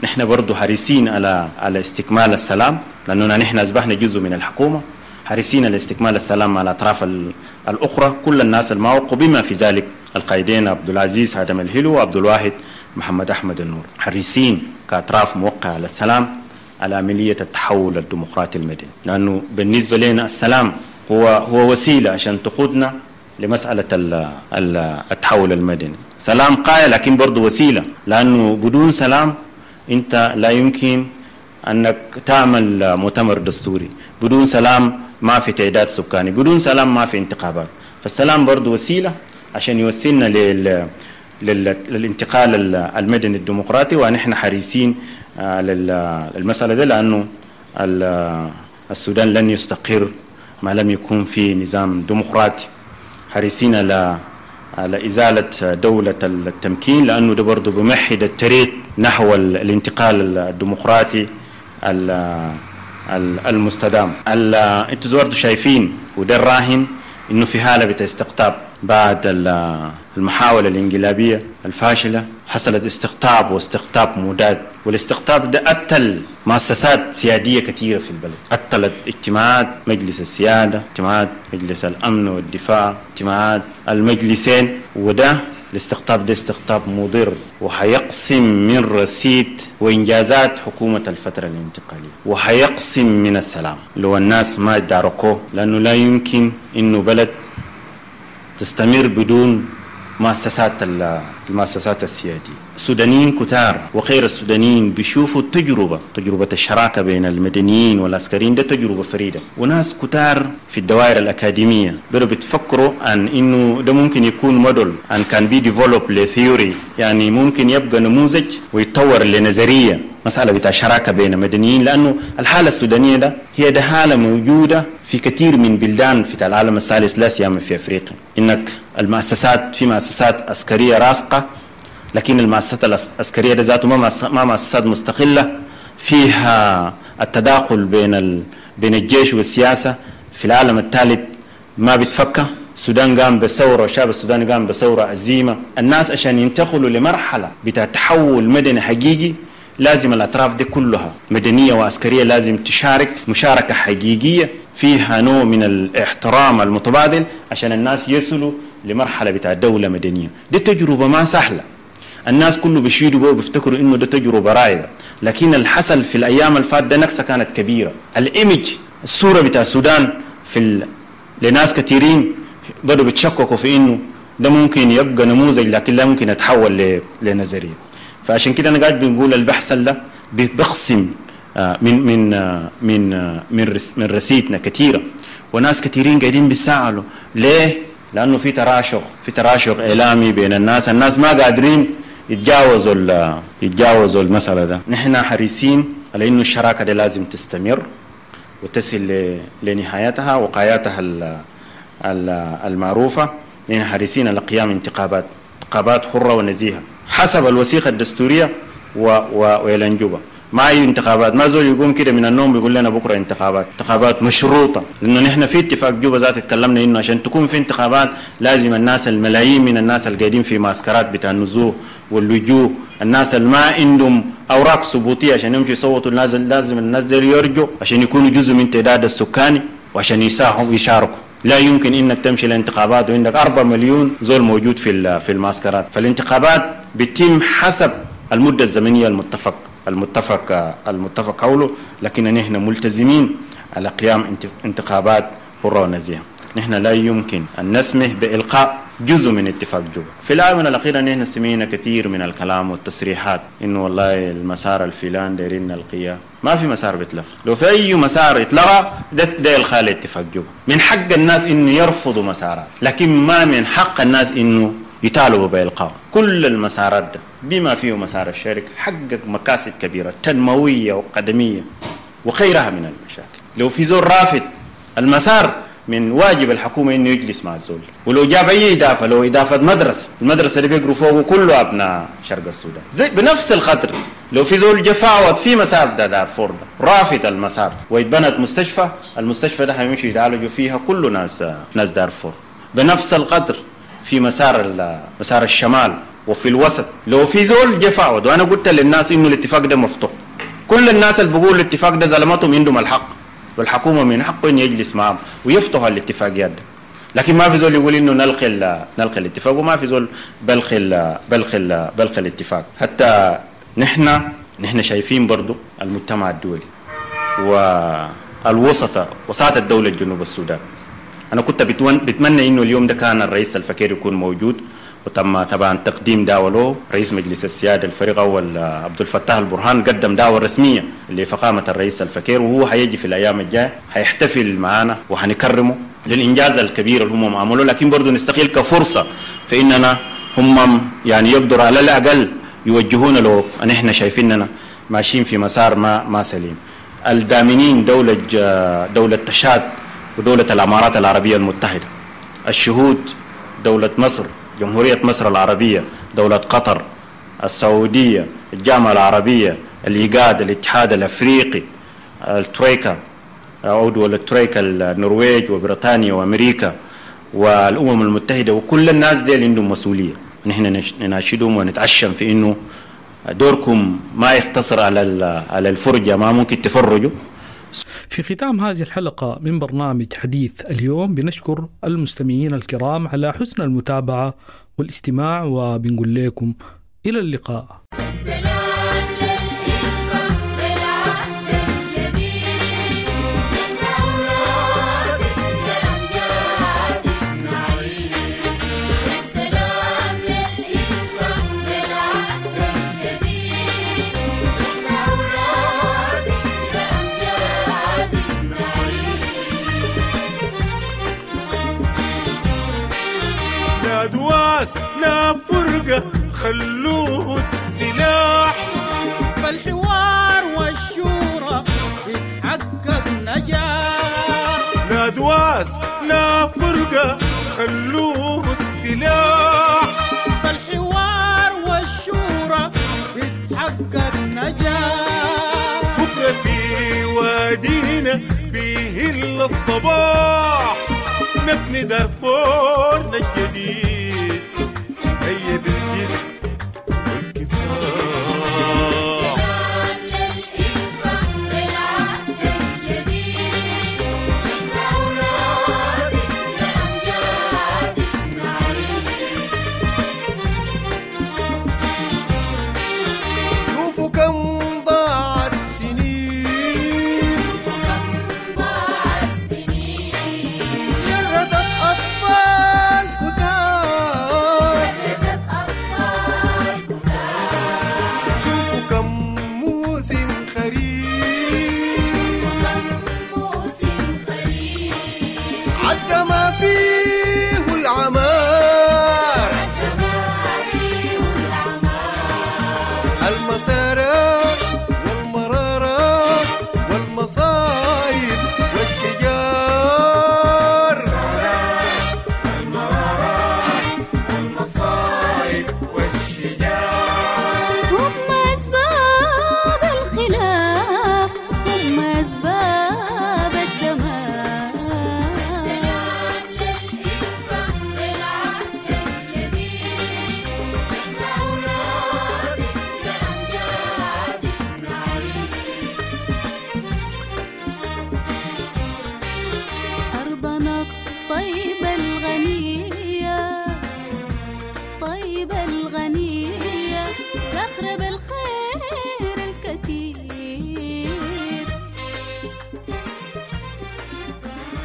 نحن برضو حريصين على استكمال السلام، لأننا نحن أصبحنا جزء من الحكومة، حريصين على استكمال السلام مع الأطراف الأخرى، كل الناس الموقع بما في ذلك القائدين عبد العزيز آدم الهلو وعبد الواحد محمد أحمد النور، حريصين كأطراف موقعة على السلام على عملية التحول الديمقراطي المدني، لأنه بالنسبة لنا السلام هو وسيلة عشان تقودنا لمسألة التحول المدني. سلام قاية لكن برضو وسيلة، لأنه بدون سلام أنت لا يمكن أنك تعمل مؤتمر دستوري، بدون سلام ما في تعداد سكاني، بدون سلام ما في انتخابات. فالسلام برضو وسيلة عشان يوصلنا للانتقال المدني الديمقراطي، ونحن حريصين للمسألة دي، لأنه السودان لن يستقر ما لم يكون في نظام ديمقراطي. حريصين على على إزالة دولة التمكين، لأنه ده برضه بمهد الطريق نحو الانتقال الديمقراطي المستدام. انتوا برضه شايفين وده الراهن انه في حالة بتاع استقطاب بعد المحاولة الانقلابية الفاشلة، حصلت استقطاب واستقطاب مداد، والاستقطاب ده قتل مؤسسات سيادية كثيرة في البلد، قتلت اجتماعات مجلس السيادة، اجتماعات مجلس الأمن والدفاع، اجتماعات المجلسين، وده الاستقطاب ده استقطاب مضر وحيقسم من رصيد وإنجازات حكومة الفترة الانتقالية، وحيقسم من السلام لو الناس ما يداركوه، لأنه لا يمكن إنه بلد تستمر بدون مؤسسات المؤسسات السيادية. السودانيين كتار وغير السودانيين بيشوفوا التجربة، تجربة الشراكة بين المدنيين والعسكريين، ده تجربة فريدة، وناس كتار في الدوائر الأكاديمية بدوا بتفكروا عن إنه ده ممكن يكون model and can be developed ل theory، يعني ممكن يبقى نموذج ويتطور لنظرية مسألة بتاع شراكة بين المدنيين، لأنه الحالة السودانية ده هي ده حالة موجودة في كثير من بلدان في العالم الثالث، لا سيما في أفريقيا، إنك المؤسسات في مؤسسات عسكرية راسخة، لكن المؤسسات العسكرية ده ذاته ما مؤسسات مستقلة، فيها التداخل بين الجيش والسياسة. في العالم الثالث ما بتفكر. السودان قام بثورة، والشعب السوداني قام بثورة عزيمة. الناس عشان ينتقلوا لمرحلة بتاع تحول مدني حقيقي لازم الأطراف دي كلها مدنية وعسكرية لازم تشارك مشاركة حقيقية فيها نوع من الاحترام المتبادل عشان الناس يصلوا لمرحلة بتاع دولة مدنية. دي تجربة ما سهلة، الناس كله بيشيدوا بيه وبيفتكروا انه ده تجربة رائدة، لكن اللي حصل في الايام الفات ده نكسة كانت كبيرة. الايمج، الصورة بتاع السودان في لناس كثيرين بدوا بيتشككوا في انه ده ممكن يبقى نموذج، لكن لا ممكن يتحول لنظرية. فعشان كده انا قاعد بنقول البحث ده بيقسم من من من من من رصيدنا كثيرة، وناس كثيرين قاعدين بيسالوا ليه؟ لانه في تراشق، في تراشق اعلامي بين الناس، الناس ما قادرين يتجاوزوا المسالة ده. نحن حريصين على انه الشراكة دي لازم تستمر وتصل لنهايتها وقاياتها المعروفة. نحن حريصين على قيام انتخابات حره ونزيهه حسب الوثيقة الدستورية وإعلان جوبا. ما اي انتخابات، ما زول يقوم كده من النوم بيقول لنا بكره انتخابات، انتخابات مشروطة، لانه نحن في اتفاق جوبا ذات تكلمنا انه عشان تكون في انتخابات لازم الناس، الملايين من الناس اللي قاعدين في معسكرات بتاع النزوح واللجوء، الناس اللي ما عندهم اوراق ثبوتية عشان يمشوا يصوتوا، لازم الناس دي يرجوا عشان يكونوا جزء من تعداد السكاني وعشان يساهموا يشاركوا. لا يمكن انك تمشي لانتخابات وعندك 4 مليون زول موجود في المعسكرات. فالانتخابات بتتم حسب المدة الزمنية المتفق حوله، لكن نحن ملتزمين على قيام انتخابات حرة ونزيهة. نحن لا يمكن أن نسمح بإلقاء جزء من اتفاق جوبا. في الآونة الأخيرة نحن سمعنا كثير من الكلام والتصريحات إنه والله المسار الفلان دايرين نلقيه، ما في مسار بيتلغى، لو في أي مسار اتلغى ده إلغاء لاتفاق جوبا. من حق الناس إنه يرفضوا مسارات، لكن ما من حق الناس إنه يطالبوا بإلقاء كل المسارات ده بما فيه مسار الشرق، حقق مكاسب كبيرة تنموية وقدمية وغيرها من المشاكل. لو في زول رافض المسار من واجب الحكومة إنه يجلس مع الزول، ولو جاب أي إضافة، لو إضافة مدرسة، المدرسة اللي بيقروا فوقه كله أبناء شرق السودان زي بنفس الخطر. لو في زول جفاوت في مسار ده دارفور ده رافض المسار ويتبنت مستشفى، المستشفى ده حيمشي يتعالجوا فيها كل ناس دارفور بنفس القدر. في مسار الشمال وفي الوسط لو في زول جفاوت، وأنا قلت للناس إنه الاتفاق ده مفتوح، كل الناس اللي بيقولوا الاتفاق ده ظلمتهم عندهم الحق، والحكومة من حقه إن يجلس معهم ويفتحوا الاتفاقيات ده. لكن ما في زول يقول إنه نلقي الاتفاق، وما في زول بلقي بلقي الاتفاق. حتى نحن شايفين برضو المجتمع الدولي والوسطى وساطة الدولة الجنوب السودان. أنا كنت بتمنى إنه اليوم ده كان الرئيس الفكير يكون موجود، وتم طبعا تقديم دعوة له. رئيس مجلس السيادة الفريق أول عبد الفتاح البرهان قدم دعوة رسمية لفخامة الرئيس الفكير، وهو حيجي في الأيام الجاية حيحتفل معنا وحنكرمه للإنجاز الكبير اللي هم عملوه. لكن برضه نستغل كفرصة فإننا هم يعني يقدروا على الأقل يوجهونا لو أن إحنا شايفيننا ماشيين في مسار ما سليم. الدامنين دولة تشاد ودولة الإمارات العربية المتحدة، الشهود دولة مصر، جمهورية مصر العربية، دولة قطر، السعودية، الجامعة العربية، الإيجاد، الاتحاد الأفريقي، الترويكا أو دول الترويكا، النرويج وبريطانيا وأمريكا والأمم المتحدة، وكل الناس دي عندهم مسؤولية. نحن نناشدهم ونتعشم في إنه دوركم ما يقتصر على الفرجة، ما ممكن تفرجوا. في ختام هذه الحلقة من برنامج حديث اليوم بنشكر المستمعين الكرام على حسن المتابعة والاستماع، وبنقول لكم إلى اللقاء. لا فرقة، خلوه السلاح، فالحوار والشورى يتحقق نجاح. لا دواس لا فرقة، خلوه السلاح، فالحوار والشورى يتحقق نجاح. بكرة في وادينا بيهل الصباح، نبني دارفورنا الجديد، هيا بالجد والكفاح. السلام للإلفة بالعهد الجديد، من أولاد لأمجاد نعيد. شوفوا كم ضاعت سنين، شوفوا كم ضاعت سنين، شردت أطفال كتار، شوفوا كم موسم خريف، عدى ما فيه العمار، المسارات والمرارات والمصايب والشجار، المرارات والمصايب والشجار، هم أسباب الخلاف، هم أسباب الدمار. السلام للإلفة بالعهد الجديد، من أولاد لأمجاد نعيد. أرضنا الطيبة الغنية، طيبة الغنية، زخرة بالخير الكثير.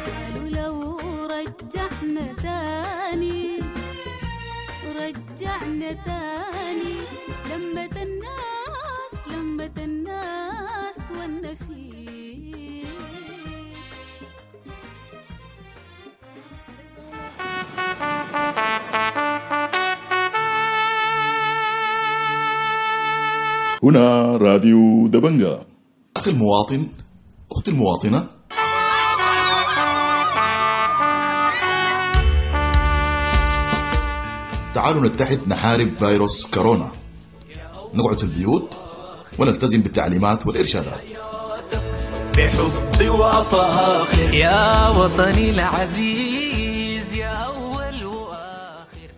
قالوا لو رجعنا تاني، رجعنا تاني، لمة الناس، لمة الناس والنفير. هنا راديو دبنجا. أخي المواطن، أختي المواطنة، تعالوا نتحد نحارب فيروس كورونا، نقعد في البيوت ونلتزم بالتعليمات والإرشادات. بحب وفاخر يا وطني العزيز، يا أول وآخر.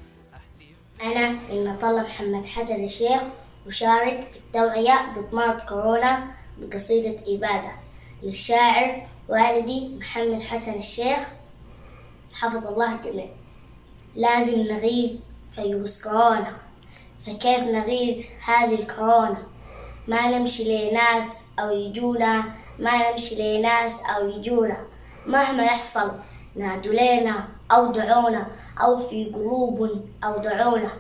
أنا المطلة محمد حسن الشيخ، أشارك في التوعية ضد مرض كورونا بقصيدة إبادة للشاعر والدي محمد حسن الشيخ، حفظ الله الجميع. لازم نغيظ فيروس كورونا، فكيف نغيظ هذه الكورونا؟ ما نمشي لناس أو يجونا، ما نمشي لناس أو يجونا، مهما يحصل نادوا لنا أو دعونا، أو في قلوب أو دعونا،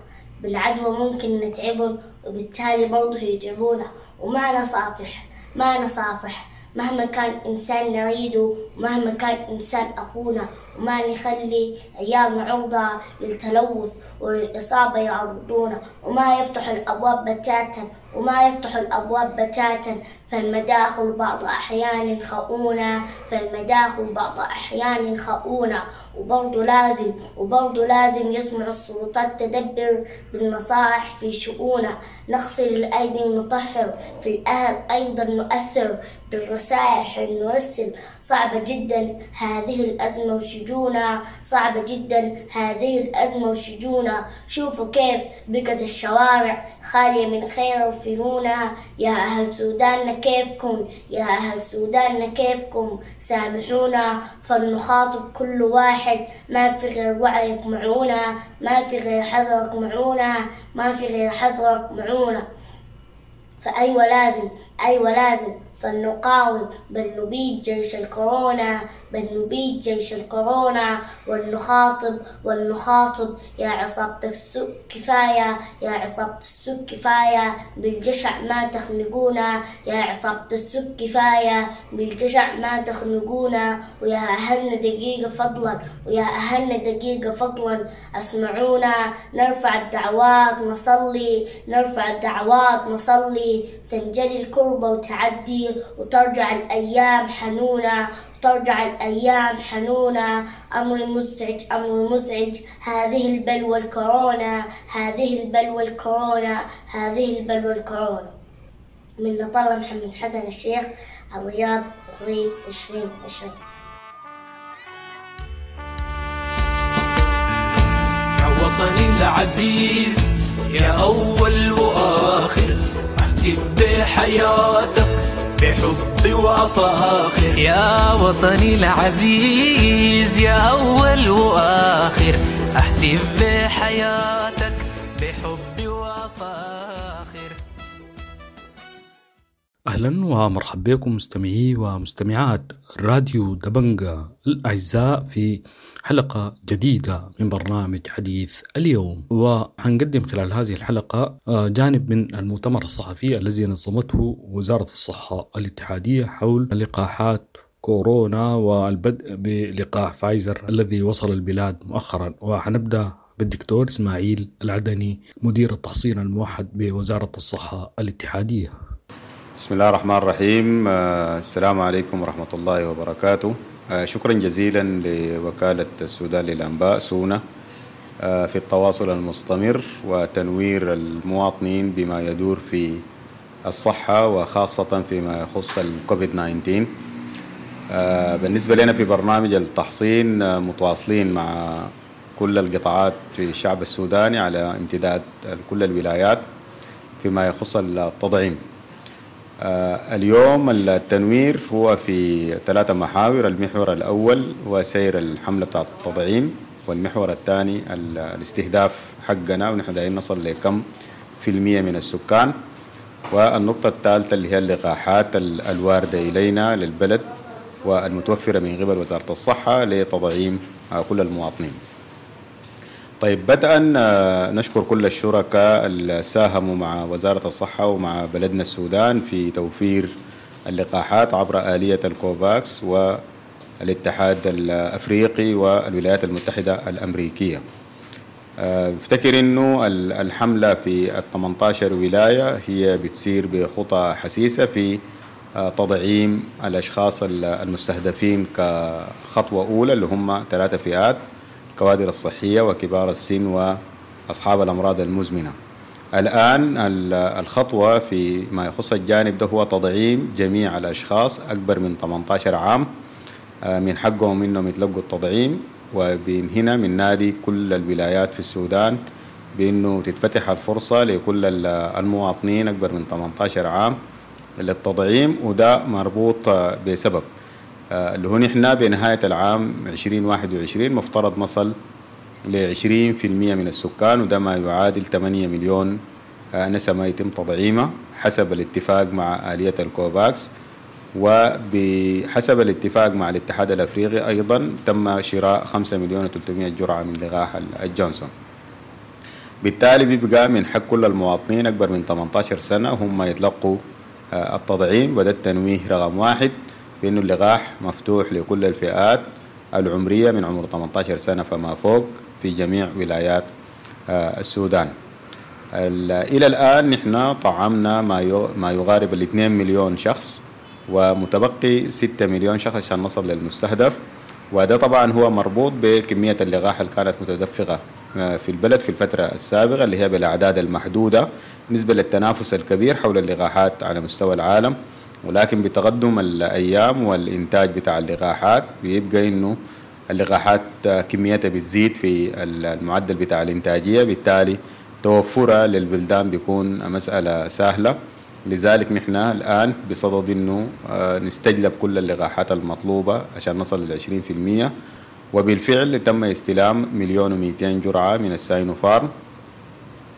بالعدوى ممكن نتعبهم وبالتالي برضه يتعبونا. وما نصافح، ما نصافح مهما كان إنسان نريده، ومهما كان إنسان أخونا، وما نخلي عيالنا عرضة للتلوث وللإصابة يعرضونا، وما يفتح الأبواب بتاتا، وما يفتح الأبواب بتاتا فالمداخل بعض أحيان خؤونة، فالمداخل بعض أحيان خؤونة. وبرضو لازم يسمع السلطات تدبر بالنصائح في شؤونة. نغسل الأيدي ونطهر، في الأهل أيضا نؤثر بالرسائل نرسل. صعبة جدا هذه الأزمة وشجونة، صعبة جدا هذه الأزمة وشجونة. شوفوا كيف بقت الشوارع خالية من خير وفنونة. يا أهل سوداننا كيفكم، يا أهل سوداننا كيفكم، سامحونا. فلنخاطب كل واحد، ما في غير وعيك معونة، ما في غير حذرك معونة، ما في غير حذرك معونة. فأيوة لازم، أيوة لازم فلنقاوم، بل نبيد جيش الكورونا، بل نبيد جيش الكورونا. ولنخاطب، ولنخاطب يا عصابة السوء كفاية، يا عصابة السوء كفاية، بالجشع ما تخنقونا، يا عصابة السوء كفاية، بالجشع ما تخنقونا. ويا أهلنا دقيقة فضلا، ويا أهلنا دقيقة فضلا أسمعونا. نرفع الدعوات نصلي، نرفع الدعوات نصلي، تنجلي الكربة وتعدي، وترجع الأيام حنونة، ترجع الأيام حنونة. أمر مزعج، أمر مزعج، هذه البلوى الكورونا، هذه البلوى الكورونا، هذه البلوى الكورونا. من نطلة محمد حسن الشيخ، الرياض، أبريل 2020. يا وطني العزيز، يا أول وآخر، أهتف بحياتك بحب وأفاخر. يا وطني العزيز، يا أول وآخر، أهتف بحياتك بحب وأفاخر. أهلا ومرحبا بكم مستمعي ومستمعات راديو دبنجا الأعزاء في حلقة جديدة من برنامج حديث اليوم. وحنقدم خلال هذه الحلقة جانب من المؤتمر الصحفي الذي نظمته وزارة الصحة الاتحادية حول لقاحات كورونا والبدء بلقاح فايزر الذي وصل البلاد مؤخرا. وحنبدأ بالدكتور إسماعيل العدني مدير التحصين الموحد بوزارة الصحة الاتحادية. بسم الله الرحمن الرحيم. السلام عليكم ورحمة الله وبركاته. شكرا جزيلا لوكالة السودان للأنباء سونا في التواصل المستمر وتنوير المواطنين بما يدور في الصحة وخاصة فيما يخص الكوفيد 19. بالنسبة لنا في برنامج التحصين متواصلين مع كل القطاعات في الشعب السوداني على امتداد كل الولايات فيما يخص التطعيم. اليوم التنوير هو في 3 محاور. المحور الأول هو سير الحملة بتاعت التطعيم، والمحور الثاني الاستهداف حقنا ونحن دايرين نصل لكم في المية من السكان، والنقطة الثالثة اللي هي اللقاحات الواردة إلينا للبلد والمتوفرة من قبل وزارة الصحة لتطعيم كل المواطنين. طيب، بدءا نشكر كل الشركاء اللي ساهموا مع وزارة الصحة ومع بلدنا السودان في توفير اللقاحات عبر آلية الكوفاكس والاتحاد الأفريقي والولايات المتحدة الأمريكية. افتكر انه الحملة في 18 ولاية هي بتسير بخطى حسيسة في تطعيم الأشخاص المستهدفين كخطوة أولى اللي هم 3 فئات: الكوادر الصحية وكبار السن وأصحاب الأمراض المزمنة. الآن الخطوة في ما يخص الجانب ده هو تطعيم جميع الأشخاص أكبر من 18 عام، من حقهم إنهم يتلقوا التطعيم. وبين هنا من نادي كل الولايات في السودان بأنه تتفتح الفرصة لكل المواطنين أكبر من 18 عام للتطعيم، وده مربوط بسبب اللي هو نحن بنهاية العام 2021 مفترض نصل ل 20% من السكان، وده ما يعادل 8 مليون نسمة يتم تطعيمه حسب الاتفاق مع آلية الكوفاكس. وبحسب الاتفاق مع الاتحاد الأفريقي أيضا تم شراء 5,300,000 جرعة من لقاح الجونسون. بالتالي بيبقى من حق كل المواطنين أكبر من 18 سنة هم يتلقوا التطعيم، وده التنويه رقم 1 بأنه اللقاح مفتوح لكل الفئات العمرية من عمر 18 سنة فما فوق في جميع ولايات السودان. إلى الآن نحن طعمنا ما يقارب 2 مليون شخص، ومتبقي 6 مليون شخص عشان نصل للمستهدف. وده طبعا هو مربوط بكمية اللقاح اللي كانت متدفقة في البلد في الفترة السابقة اللي هي بالأعداد المحدودة بالنسبة للتنافس الكبير حول اللقاحات على مستوى العالم. ولكن بتقدم الأيام والإنتاج بتاع اللقاحات بيبقى إنه اللقاحات كميتها بتزيد في المعدل بتاع الإنتاجية، بالتالي توفرها للبلدان بيكون مسألة سهلة. لذلك نحن الآن بصدد إنه نستجلب كل اللقاحات المطلوبة عشان نصل لل 20%. وبالفعل تم استلام 1,200,000 جرعة من الساينوفارم،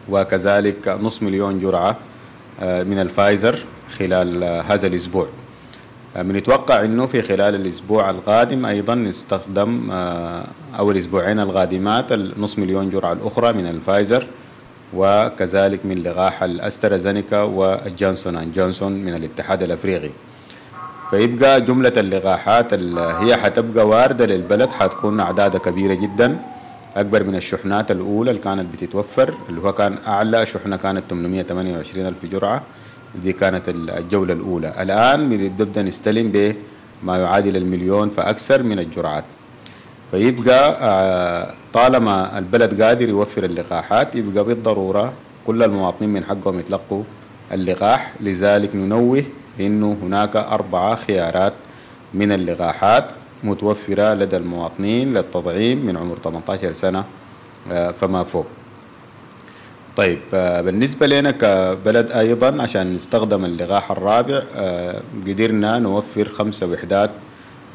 وكذلك 500,000 جرعة من الفايزر خلال هذا الأسبوع. بنتوقع إنه في خلال الأسبوع القادم أيضا نستخدم أو الأسبوعين القادمات 500,000 جرعة الأخرى من الفايزر، وكذلك من لقاح الأسترازينيكا والجونسون أند جونسون من الاتحاد الأفريقي. فيبقى جملة اللقاحات اللي هي حتبقى واردة للبلد حتكون أعدادها كبيرة جدا، أكبر من الشحنات الأولى اللي كانت بتتوفر، اللي هو كان أعلى شحنة كانت 828,000 جرعة، دي كانت الجولة الأولى. الآن بنبدأ نستلم بما يعادل 1,000,000 فأكثر من الجرعات. فيبقى طالما البلد قادر يوفر اللقاحات يبقى بالضرورة كل المواطنين من حقهم يتلقوا اللقاح. لذلك ننوه إنه هناك 4 خيارات من اللقاحات متوفرة لدى المواطنين للتطعيم من عمر 18 سنة فما فوق. طيب بالنسبة لنا كبلد أيضا عشان نستخدم اللقاح الرابع قدرنا نوفر 5 وحدات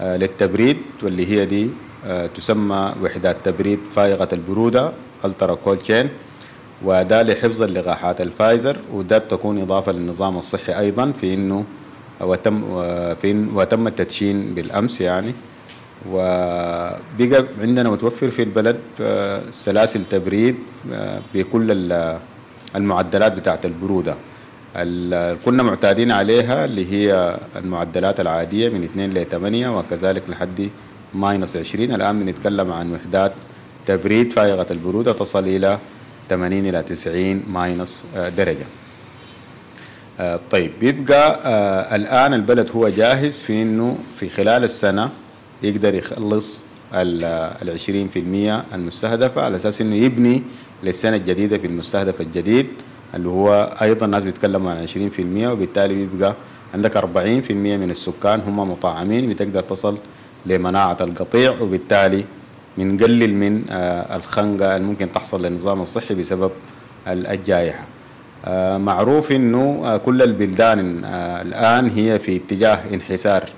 للتبريد، واللي هي دي تسمى وحدات تبريد فائقة البرودة ultra cold chain، وده لحفظ اللقاحات الفايزر، وده بتكون إضافة للنظام الصحي أيضا في إنه وتم التدشين بالأمس يعني. وبقى عندنا متوفر في البلد سلاسل تبريد بكل المعدلات بتاعت البرودة اللي كنا معتادين عليها، اللي هي المعدلات العادية من 2 ل 8 وكذلك لحد -20. الآن بنتكلم عن وحدات تبريد فائقة البرودة تصل إلى 80 إلى 90 minus درجة. طيب بيبقى الآن البلد هو جاهز في إنه في خلال السنة يقدر يخلص 20% المستهدفة، على أساس إنه يبني للسنة الجديدة في المستهدف الجديد اللي هو أيضا الناس بيتكلموا عن 20%، وبالتالي بيبقى عندك 40% من السكان هم مطعمين، بتقدر تصل لمناعة القطيع، وبالتالي بنقلل من الخنقة اللي ممكن تحصل للنظام الصحي بسبب الجائحة. معروف إنه كل البلدان الآن هي في اتجاه انحسار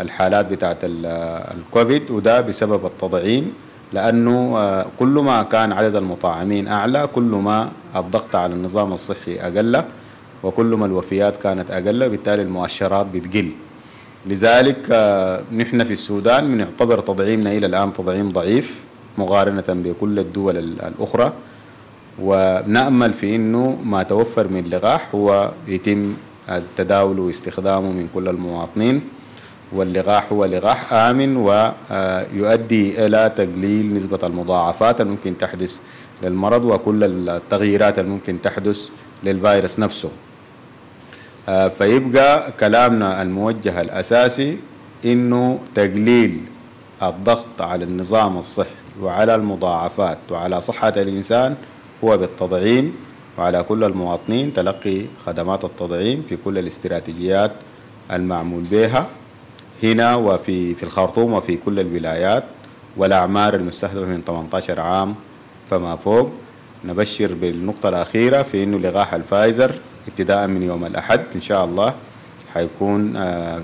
الحالات بتاعت الكوفيد، وده بسبب التطعيم، لأنه كل ما كان عدد المطعمين أعلى كل ما الضغط على النظام الصحي أقل، وكل ما الوفيات كانت أقل، بالتالي المؤشرات بتقل. لذلك نحن في السودان بنعتبر تطعيمنا إلى الآن تطعيم ضعيف مقارنة بكل الدول الأخرى، ونأمل في إنه ما توفر من لقاح هو يتم التداول واستخدامه من كل المواطنين، واللقاح هو لقاح آمن ويؤدي إلى تقليل نسبة المضاعفات الممكن تحدث للمرض وكل التغييرات الممكن تحدث للفيروس نفسه. فيبقى كلامنا الموجه الأساسي إنه تقليل الضغط على النظام الصحي وعلى المضاعفات وعلى صحة الإنسان هو بالتطعيم، وعلى كل المواطنين تلقي خدمات التطعيم في كل الاستراتيجيات المعمول بها هنا وفي الخرطوم وفي كل الولايات، والأعمار المستهدفة من 18 عام فما فوق. نبشر بالنقطة الأخيرة في إنه لقاح الفايزر ابتداء من يوم الأحد إن شاء الله حيكون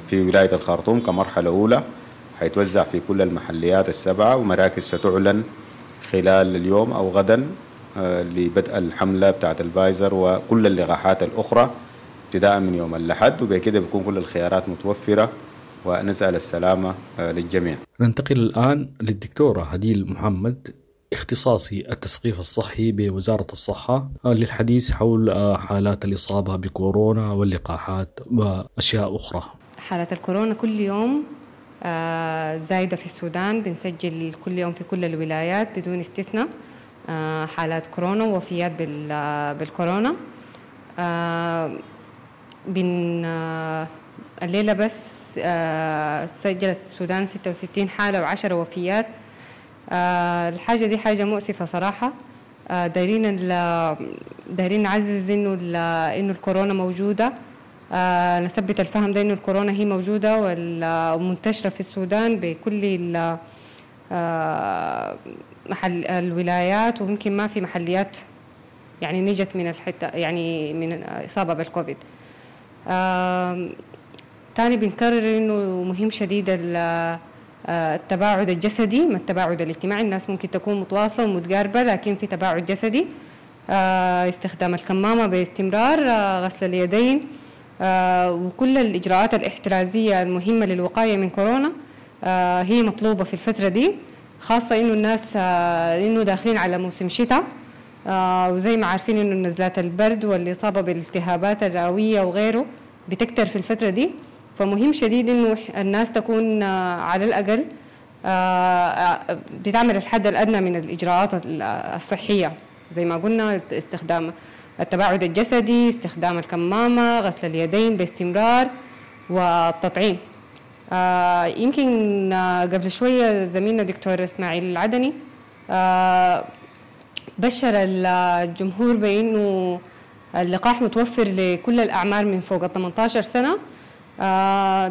في ولاية الخرطوم كمرحلة أولى، حيتوزع في كل المحليات السبعة، ومراكز ستعلن خلال اليوم أو غدا لبدء الحملة بتاعت الفايزر وكل اللقاحات الأخرى ابتداء من يوم الأحد، وبكده بيكون كل الخيارات متوفرة، ونسأل السلامة للجميع. ننتقل الآن للدكتورة هديل محمد، اختصاصي التثقيف الصحي بوزارة الصحة، للحديث حول حالات الإصابة بكورونا واللقاحات وأشياء أخرى. حالات الكورونا كل يوم زايدة في السودان، بنسجل كل يوم في كل الولايات بدون استثناء، حالات كورونا ووفيات بالكورونا. بن الليلة بس سجل السودان 66 حالة و10 وفيات. الحاجة دي حاجة مؤسفة صراحة. دايرين نعزز إنه الكورونا موجودة، نثبت الفهم ده إنه الكورونا هي موجودة ومنتشرة في السودان بكل محل الولايات، ويمكن ما في محليات يعني نجت من الحتة يعني من إصابة بالكوفيد. تاني بنكرر إنه مهم شديد التباعد الجسدي ما التباعد الاجتماعي. الناس ممكن تكون متواصلة ومتقاربة لكن في تباعد جسدي، استخدام الكمامة باستمرار، غسل اليدين، وكل الإجراءات الاحترازية المهمة للوقاية من كورونا هي مطلوبة في الفترة دي، خاصة إنه الناس إنه داخلين على موسم شتاء، وزي ما عارفين إنه نزلات البرد والإصابة بالالتهابات الرئوية وغيره بتكتر في الفترة دي. فمهم شديد إنه الناس تكون على الأقل بتعمل الحد الأدنى من الإجراءات الصحية، زي ما قلنا استخدام التباعد الجسدي، استخدام الكمامة، غسل اليدين باستمرار، والتطعيم. يمكن قبل شوية زميلنا دكتور إسماعيل العدني بشر الجمهور بأنه اللقاح متوفر لكل الأعمار من فوق 18 سنة.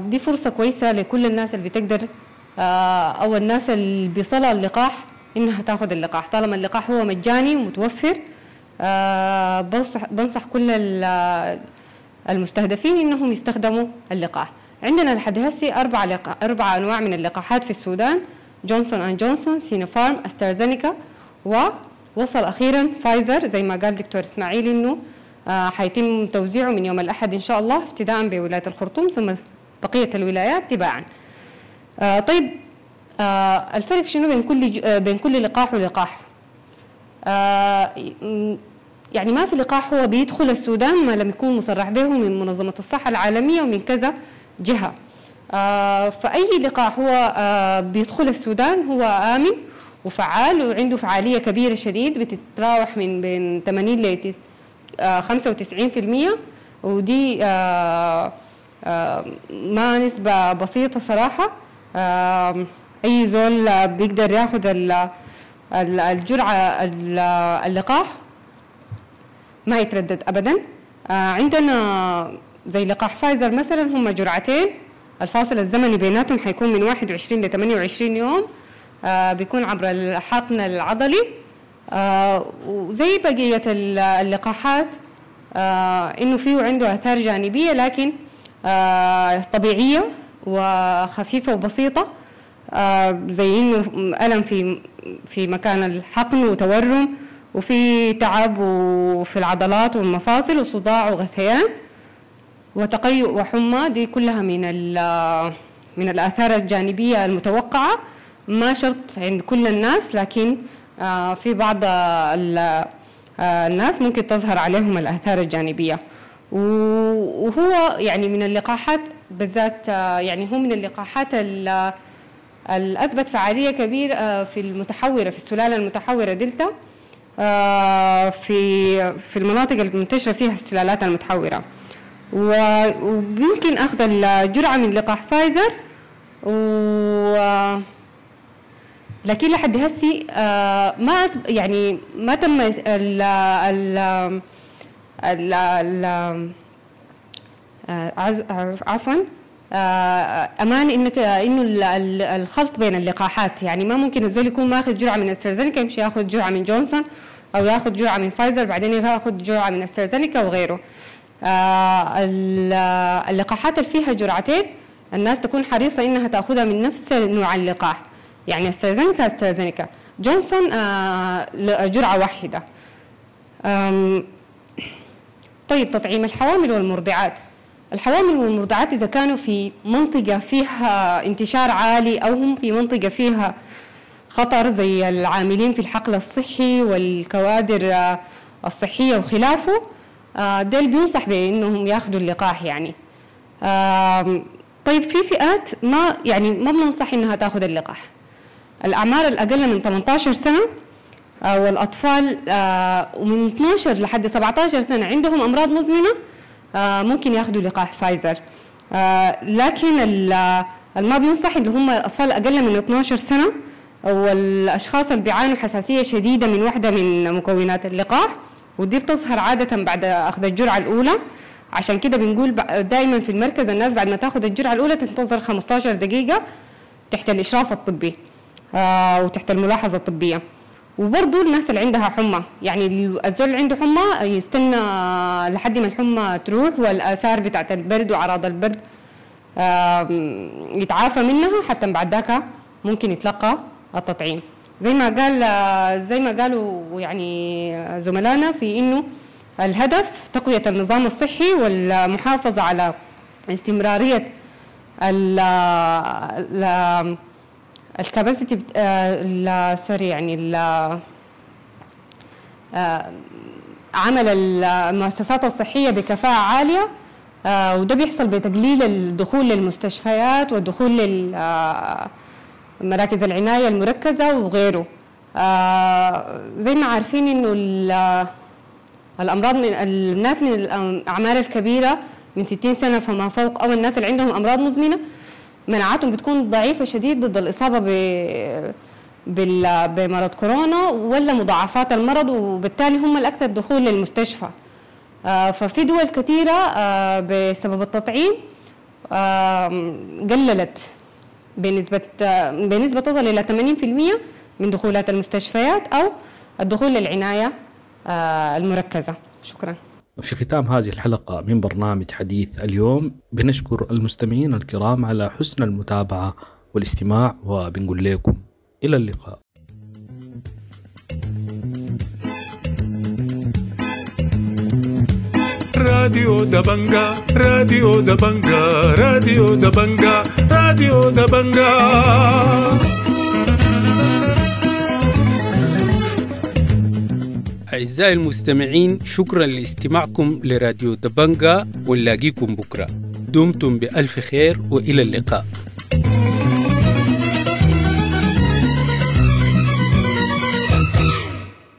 دي فرصة كويسة لكل الناس اللي بتقدر أو الناس اللي بيصلها اللقاح إنها تاخذ اللقاح، طالما اللقاح هو مجاني ومتوفر. بنصح كل المستهدفين إنهم يستخدموا اللقاح. عندنا لحد هسي أربع أنواع من اللقاحات في السودان: جونسون أند جونسون، سينوفارم، أسترازينيكا، ووصل أخيرا فايزر. زي ما قال دكتور إسماعيل إنه حيتم توزيعه من يوم الأحد إن شاء الله، ابتداء بولاية الخرطوم ثم بقية الولايات تباعا. طيب الفرق شنو بين كل لقاح ولقاح؟ يعني ما في لقاح هو بيدخل السودان ما لم يكون مصرح به من منظمة الصحة العالمية ومن كذا جهة. فأي لقاح هو بيدخل السودان هو آمن وفعال وعنده فعالية كبيرة شديد، بتتراوح من بين 80 ل 95%، ودي ما نسبة بسيطة صراحة. أي زول بيقدر ياخد الجرعة اللقاح ما يتردد أبدا. عندنا زي لقاح فايزر مثلا هم جرعتين، الفاصل الزمني بيناتهم حيكون من 21 ل 28 يوم، بيكون عبر الحقن العضلي. وزي بقية اللقاحات إنه فيه عنده آثار جانبية لكن طبيعية وخفيفة وبسيطة، زي إنه ألم في مكان الحقن وتورم، وفي تعب وفي العضلات والمفاصل وصداع وغثيان وتقيؤ وحمى. دي كلها من الآثار الجانبية المتوقعة، ما شرط عند كل الناس، لكن في بعض الناس ممكن تظهر عليهم الآثار الجانبية. وهو يعني من اللقاحات بالذات، يعني هو من اللقاحات الأثبت فعالية كبيرة في المتحورة، في السلالة المتحورة دلتا، في المناطق المنتشرة فيها السلالات المتحورة. ويمكن أخذ الجرعة من لقاح فايزر، لكن لحد هسي ما يعني ما تم ال ال ال عفوا امان انك انه الخلط بين اللقاحات، يعني ما ممكن الزول يكون ماخذ جرعة من استرازينيكا يمشي ياخذ جرعة من جونسون، او ياخذ جرعة من فايزر بعدين ياخذ جرعة من استرازينيكا وغيره. اللقاحات اللي فيها جرعتين الناس تكون حريصة انها تاخذها من نفس نوع اللقاح، يعني استرازينيكا استرازينيكا، جونسون جرعة واحدة. طيب تطعيم الحوامل والمرضعات. الحوامل والمرضعات إذا كانوا في منطقة فيها انتشار عالي أو هم في منطقة فيها خطر زي العاملين في الحقل الصحي والكوادر الصحية وخلافه، ديل بينصح بأنهم ياخذوا اللقاح يعني. طيب في فئات ما يعني ما بننصح إنها تاخذ اللقاح. الأعمار الأقل من 18 سنة والأطفال ومن 12 لحد 17 سنة عندهم أمراض مزمنة ممكن ياخذوا لقاح فايزر. لكن ما بينصح اللي هم الأطفال أقل من 12 سنة والأشخاص اللي بيعانوا حساسية شديدة من واحدة من مكونات اللقاح، ودي بتظهر عادة بعد أخذ الجرعة الأولى. عشان كده بنقول دائما في المركز الناس بعد ما تاخذ الجرعة الأولى تنتظر 15 دقيقة تحت الإشراف الطبي وتحت الملاحظة الطبية. وبرضو الناس اللي عندها حمى، يعني الزول اللي عنده حمى يستنى لحد ما الحمى تروح والآثار بتاعت البرد وأعراض البرد يتعافى منها، حتى بعد ذاك ممكن يتلقى التطعيم. زي ما قالوا يعني زملائنا في إنه الهدف تقوية النظام الصحي والمحافظة على استمرارية ال capacity، sorry يعني عمل المؤسسات الصحية بكفاءة عالية، وده بيحصل بتقليل الدخول للمستشفيات والدخول لمراكز العناية المركزة وغيره. زي ما عارفين إنه الأمراض من الناس من الأعمار الكبيرة من 60 سنة فما فوق، أو الناس اللي عندهم أمراض مزمنة، مناعتهم بتكون ضعيفة شديد ضد الإصابة بمرض كورونا ولا مضاعفات المرض، وبالتالي هم الأكثر دخول للمستشفى. ففي دول كثيرة بسبب التطعيم قللت بنسبة تصل إلى 80% من دخولات المستشفيات أو الدخول للعناية المركزة. شكرا. في ختام هذه الحلقة من برنامج حديث اليوم بنشكر المستمعين الكرام على حسن المتابعة والاستماع، وبنقول لكم إلى اللقاء. راديو دبنجا، راديو دبنجا، راديو دبنجا، راديو دبنجا. أعزائي المستمعين، شكرا لاستماعكم لراديو دبنجا، ونلاقيكم بكرة. دمتم بألف خير وإلى اللقاء.